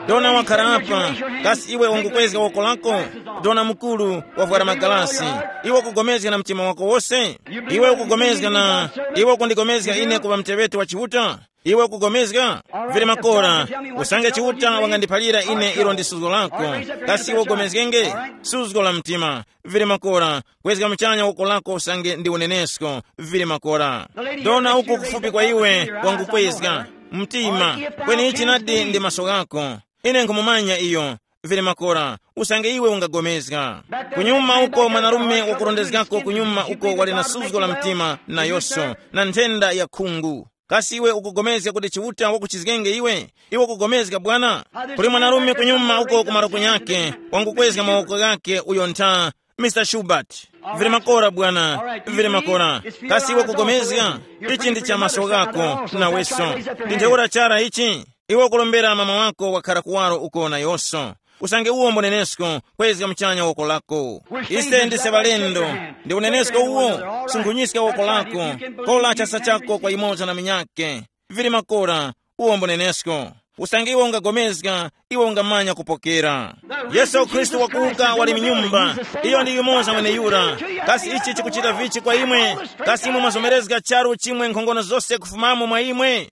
Dona wakhala apa, kasi iwe ungukwezga woko lako? Dona mukuru wavwara magalasi, iwe ukugomezga na mtima wako wose? Iwe ukugomezga na iwe ukundigomezga ine kuŵa mteŵeti wa Chiuta? Iwe ukugomezga? Vili makora, usange Chiuta wangandiphalira ine ilo ndi suzgo lako, kasi iwe ugomezgenge? Suzgo la mtima. Vili makora, kwezga muchanya woko lako usange ndi unenesko. Vili makora. Dona uku kufupi kwa iwe wangukwezga mtima. Kweni ichi nadi ndi maso ghako. Ine nkhumumanya iyo. Vili makora, usange iwe ungagomezga. Kunyuma uko mwanarume wakurondezgako kunyuma uko wali na suzgo la mtima nayoso, na nthenda ya khungu. Kasi iwe ukugomezga kuti Chiuta wakuchizgenge iwe? Iwe ukugomezga, bwana? Kuli mwanarume kunyuma uko kumaro kunyake, wangukwezga mawoko ghake uyo ntha, Mr Schubert. Vili makora, bwana, vili makora. Kasi iwe ukugomezga? Ichi ndi cha maso ghako naweso. Ndi ntheura chara ichi. Iwe ukulombera mama wako wakhara kuwaro uko nayoso. Usange uwo mbunenesko, kwezga muchanya woko lako. Ise ndise ŵalendo. Ndi unenesko uwo. Sunkhunyiska woko lako. Kola chasa chako kwa yumoza na minyake. Vili makora. Uwo mbunenesko. Usange iwe ungagomezga, iwe ungamanya kupokera. Yesu Khristu wakuwuka wali mnyumba. Iyo ndi yumoza mweneyura. Kasi ichi chikuchita vichi kwa imwe? Kasi imwe mwazomerezga charu chimwe nkhongono zose kufumamo mwa imwe?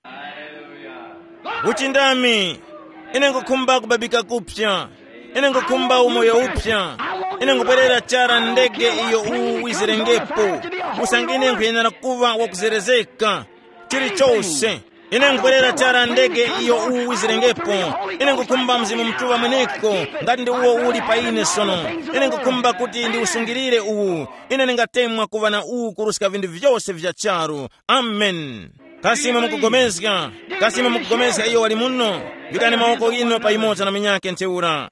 Uchindami. Ine nkukhumba kubabika kupya. Ine nkukhumba umoyo upya. Ine nkubwerera chara ndege iyo uwu wizirengepo. Usange ine nkhuyenera kuŵa wakuzerezeka. Chilichose. Ine nkubwerera chara ndege iyo uwu wizirengepo. Ine nkukhumba Mzimu Mutuŵa mweneko, ngati ndi uwo uli pa ine sono. Ine nkukhumba kuti ndiusungirire uwu. Ine ndingatemwa kuŵa na uwu kuruska vinthu vyose vya charu. Amen. Kasi imwe mukugomezga? Kasi imwe mukugomezga iyo wali muno? Vikani mawoko ghinu pa yumoza na munyakhe ntheura.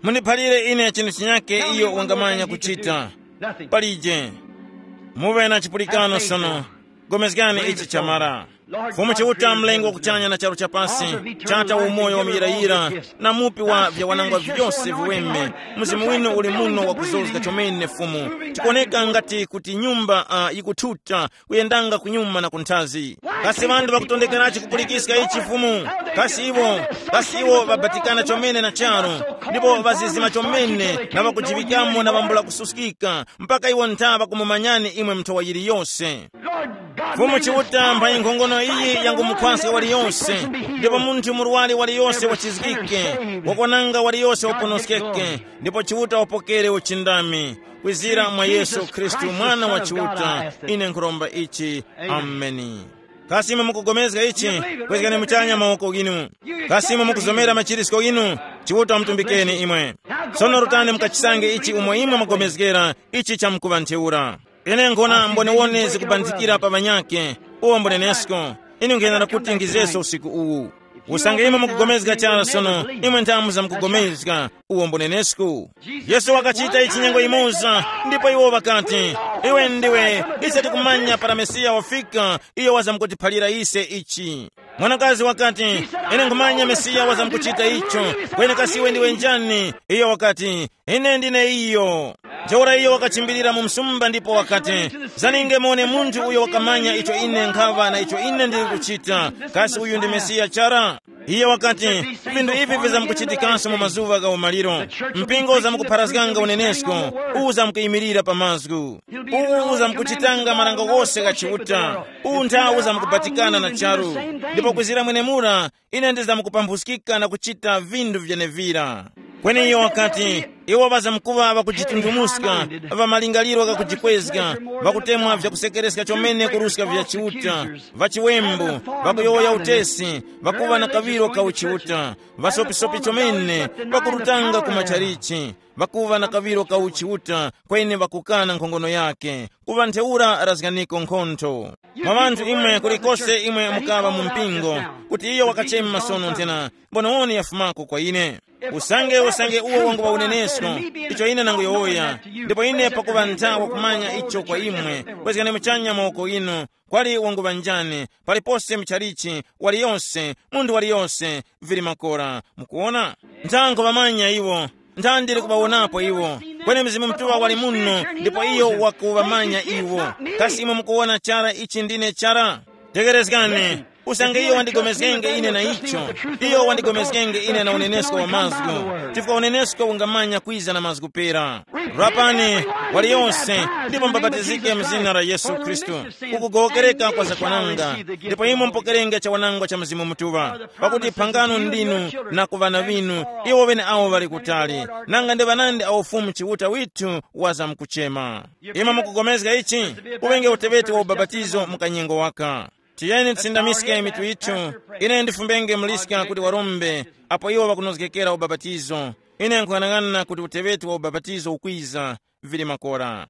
Mundiphalire ine chinthu chinyakhe iyo wangamanya kuchita. Palije. Muŵe na chipulikano sono. Gomezgani ichi chamara. Fumu Chiuta, mlengi wa kuchanya na charu cha pasi, chata wa umoyo wa muyirayira, na mupi wa vyawanangwa vyose viweme. Mzimu winu uli muno wakuzozga chomene, Fumu. Tikuoneka ngati kuti nyumba uh, yikuthuta, kuyendanga kunyuma na kunthazi. Kasi ŵanthu ŵakutondekerachi kupulikiska ichi, Fumu? Kasi iwo, kasi iwo ŵabatikana chomene na charu, ndipo ŵazizima chomene na ŵakujiŵikamo na ŵambula kususkika, mpaka iwo ntha ŵakumumanyani imwe mnthowa yiliyose. Fumu Chiuta, mphanyi nkhongono iyi yangumukhwaska waliyose, ndipo munthu murwari waliyose wachizgike, wakwananga waliyose waponoskeke, ndipo Chiuta wapokere uchindami. Kwizira mwa Yesu Khristu, Mwana wa Chiuta, ine nkhuromba ichi. Ameni. Kasi imwe mukugomezga ichi? Kwezgani muchanya mawoko ghinu. Kasi imwe mukuzomera machirisko ghinu? Chiuta wamutumbikeni imwe. Sono rutani mukachisange ichi umo imwe mugomezgera ichi chamkuŵa ntheura. Ine nkhona mbonewone zikubanthikira pa ŵanyakhe, uwo mbunenesko. Ine nkuyenda kuti ngizeso usiku uwu. Usange imwe mukugomezga chara sono, imwe nthamu za mukugomezga, uwo mbunenesko. Yesu wakachita ichi nyengo yimoza, ndipo iwo ŵakati, iwe ndiwe, ise tikumanya para Mesiya wafika, iyo wazamkutiphalira ise ichi. Mwanakazi wakati, ine nkhumanya Mesiya wazamkuchita icho. Kweni kasi iwe ndiwe njani? Iyo wakati, ine ndine iyo. Ntheura iyo wakachimbirira mu msumba ndipo wakati, zaninge muone munthu uyo wakamanya icho ine nkhaŵa na icho ine ndili kuchita. Kasi uyu ndi Mesiya chara? Iye wakati, vinthu ivi vizamkuchitikanso mu mazuŵa gha umaliro. Mpingo uzamkupharazganga unenesko, uwu uzamkuyimirira pa mazgu. Uwu uzamkuchitanga marango ghose gha Chiuta. Uwu nthawu uzamkubatikana na charu. Ndipo kwizira mwenemura, ine ndizamkupamphuzgika na kuchita vinthu vyenevira. Kweni iyo wakati, iwo ŵazamkuŵa ŵakujitunthumuska, ŵa malingaliro ghakujikwezga, ŵakutemwa vyakusekereska chomene kuruska vya Chiuta, ŵachiwembu, ŵakuyowoya utesi, ŵakuŵa na kaŵiro ka uchiuta, ŵasopisopi chomene, ŵakurutanga ku machalichi, ŵakuŵa na kaŵiro ka uchiuta, kweni ŵakukana nkhongono yake. Kuŵa ntheura razganiko nkhontho. Mwa ŵanthu imwe kulikose imwe mukaŵa mu mpingo, kuti iyo wakachema masono nthena, mbonewoni yafumako kwa ine. Usange usange uwo wanguŵa unenesko, icho ine nanguyowoya, ndipo ine pakuŵa nthawa kumanya icho kwa imwe, kwezgani muchanya mawoko inu, kwali wanguŵa njani, palipose muchalichi, waliyonse, munthu waliyonse, vili makora. Mukuwona? Nthango ŵamanya iwo. Ntha ndili kuŵawonapo iwo. Kweni Mzimu Mutuŵa wali muno, ndipo iyo wakuŵamanya iwo. Kasi imwe mukuwona chara ichi ndine chara? Tegerezgani. Usange iyo wandigomezgenge ine na icho, iyo wandigomezgenge ine na unenesko wa mazgu, chifukwa unenesko ungamanya kwiza na mazgu pera. Rapani, waliyonse, ndipo mbabatizike mu zina la Yesu Khristu, kukugowokereka kwa zakwananga, ndipo imwe mupokerenge chawanangwa cha Mzimu Mutuŵa. Pakuti phangano ndinu na ku ŵana ŵinu, iwo ŵeneawo ŵali kutali, nanga ndi ŵanandi awo Fumu Chiuta withu wazamkuchema. Imwe mukugomezga ichi? Uŵenge uteŵeti wa ubapatizo mu kanyengo waka. Tiyeni tisindamiske mitu yithu. Ine ndifumbenge muliska kuti warombe, apo iwo ŵakunozgekera ubapatizo. Ine nkhung'anang'ana kuti uteŵeti wa ubapatizo ukwiza, vili makora.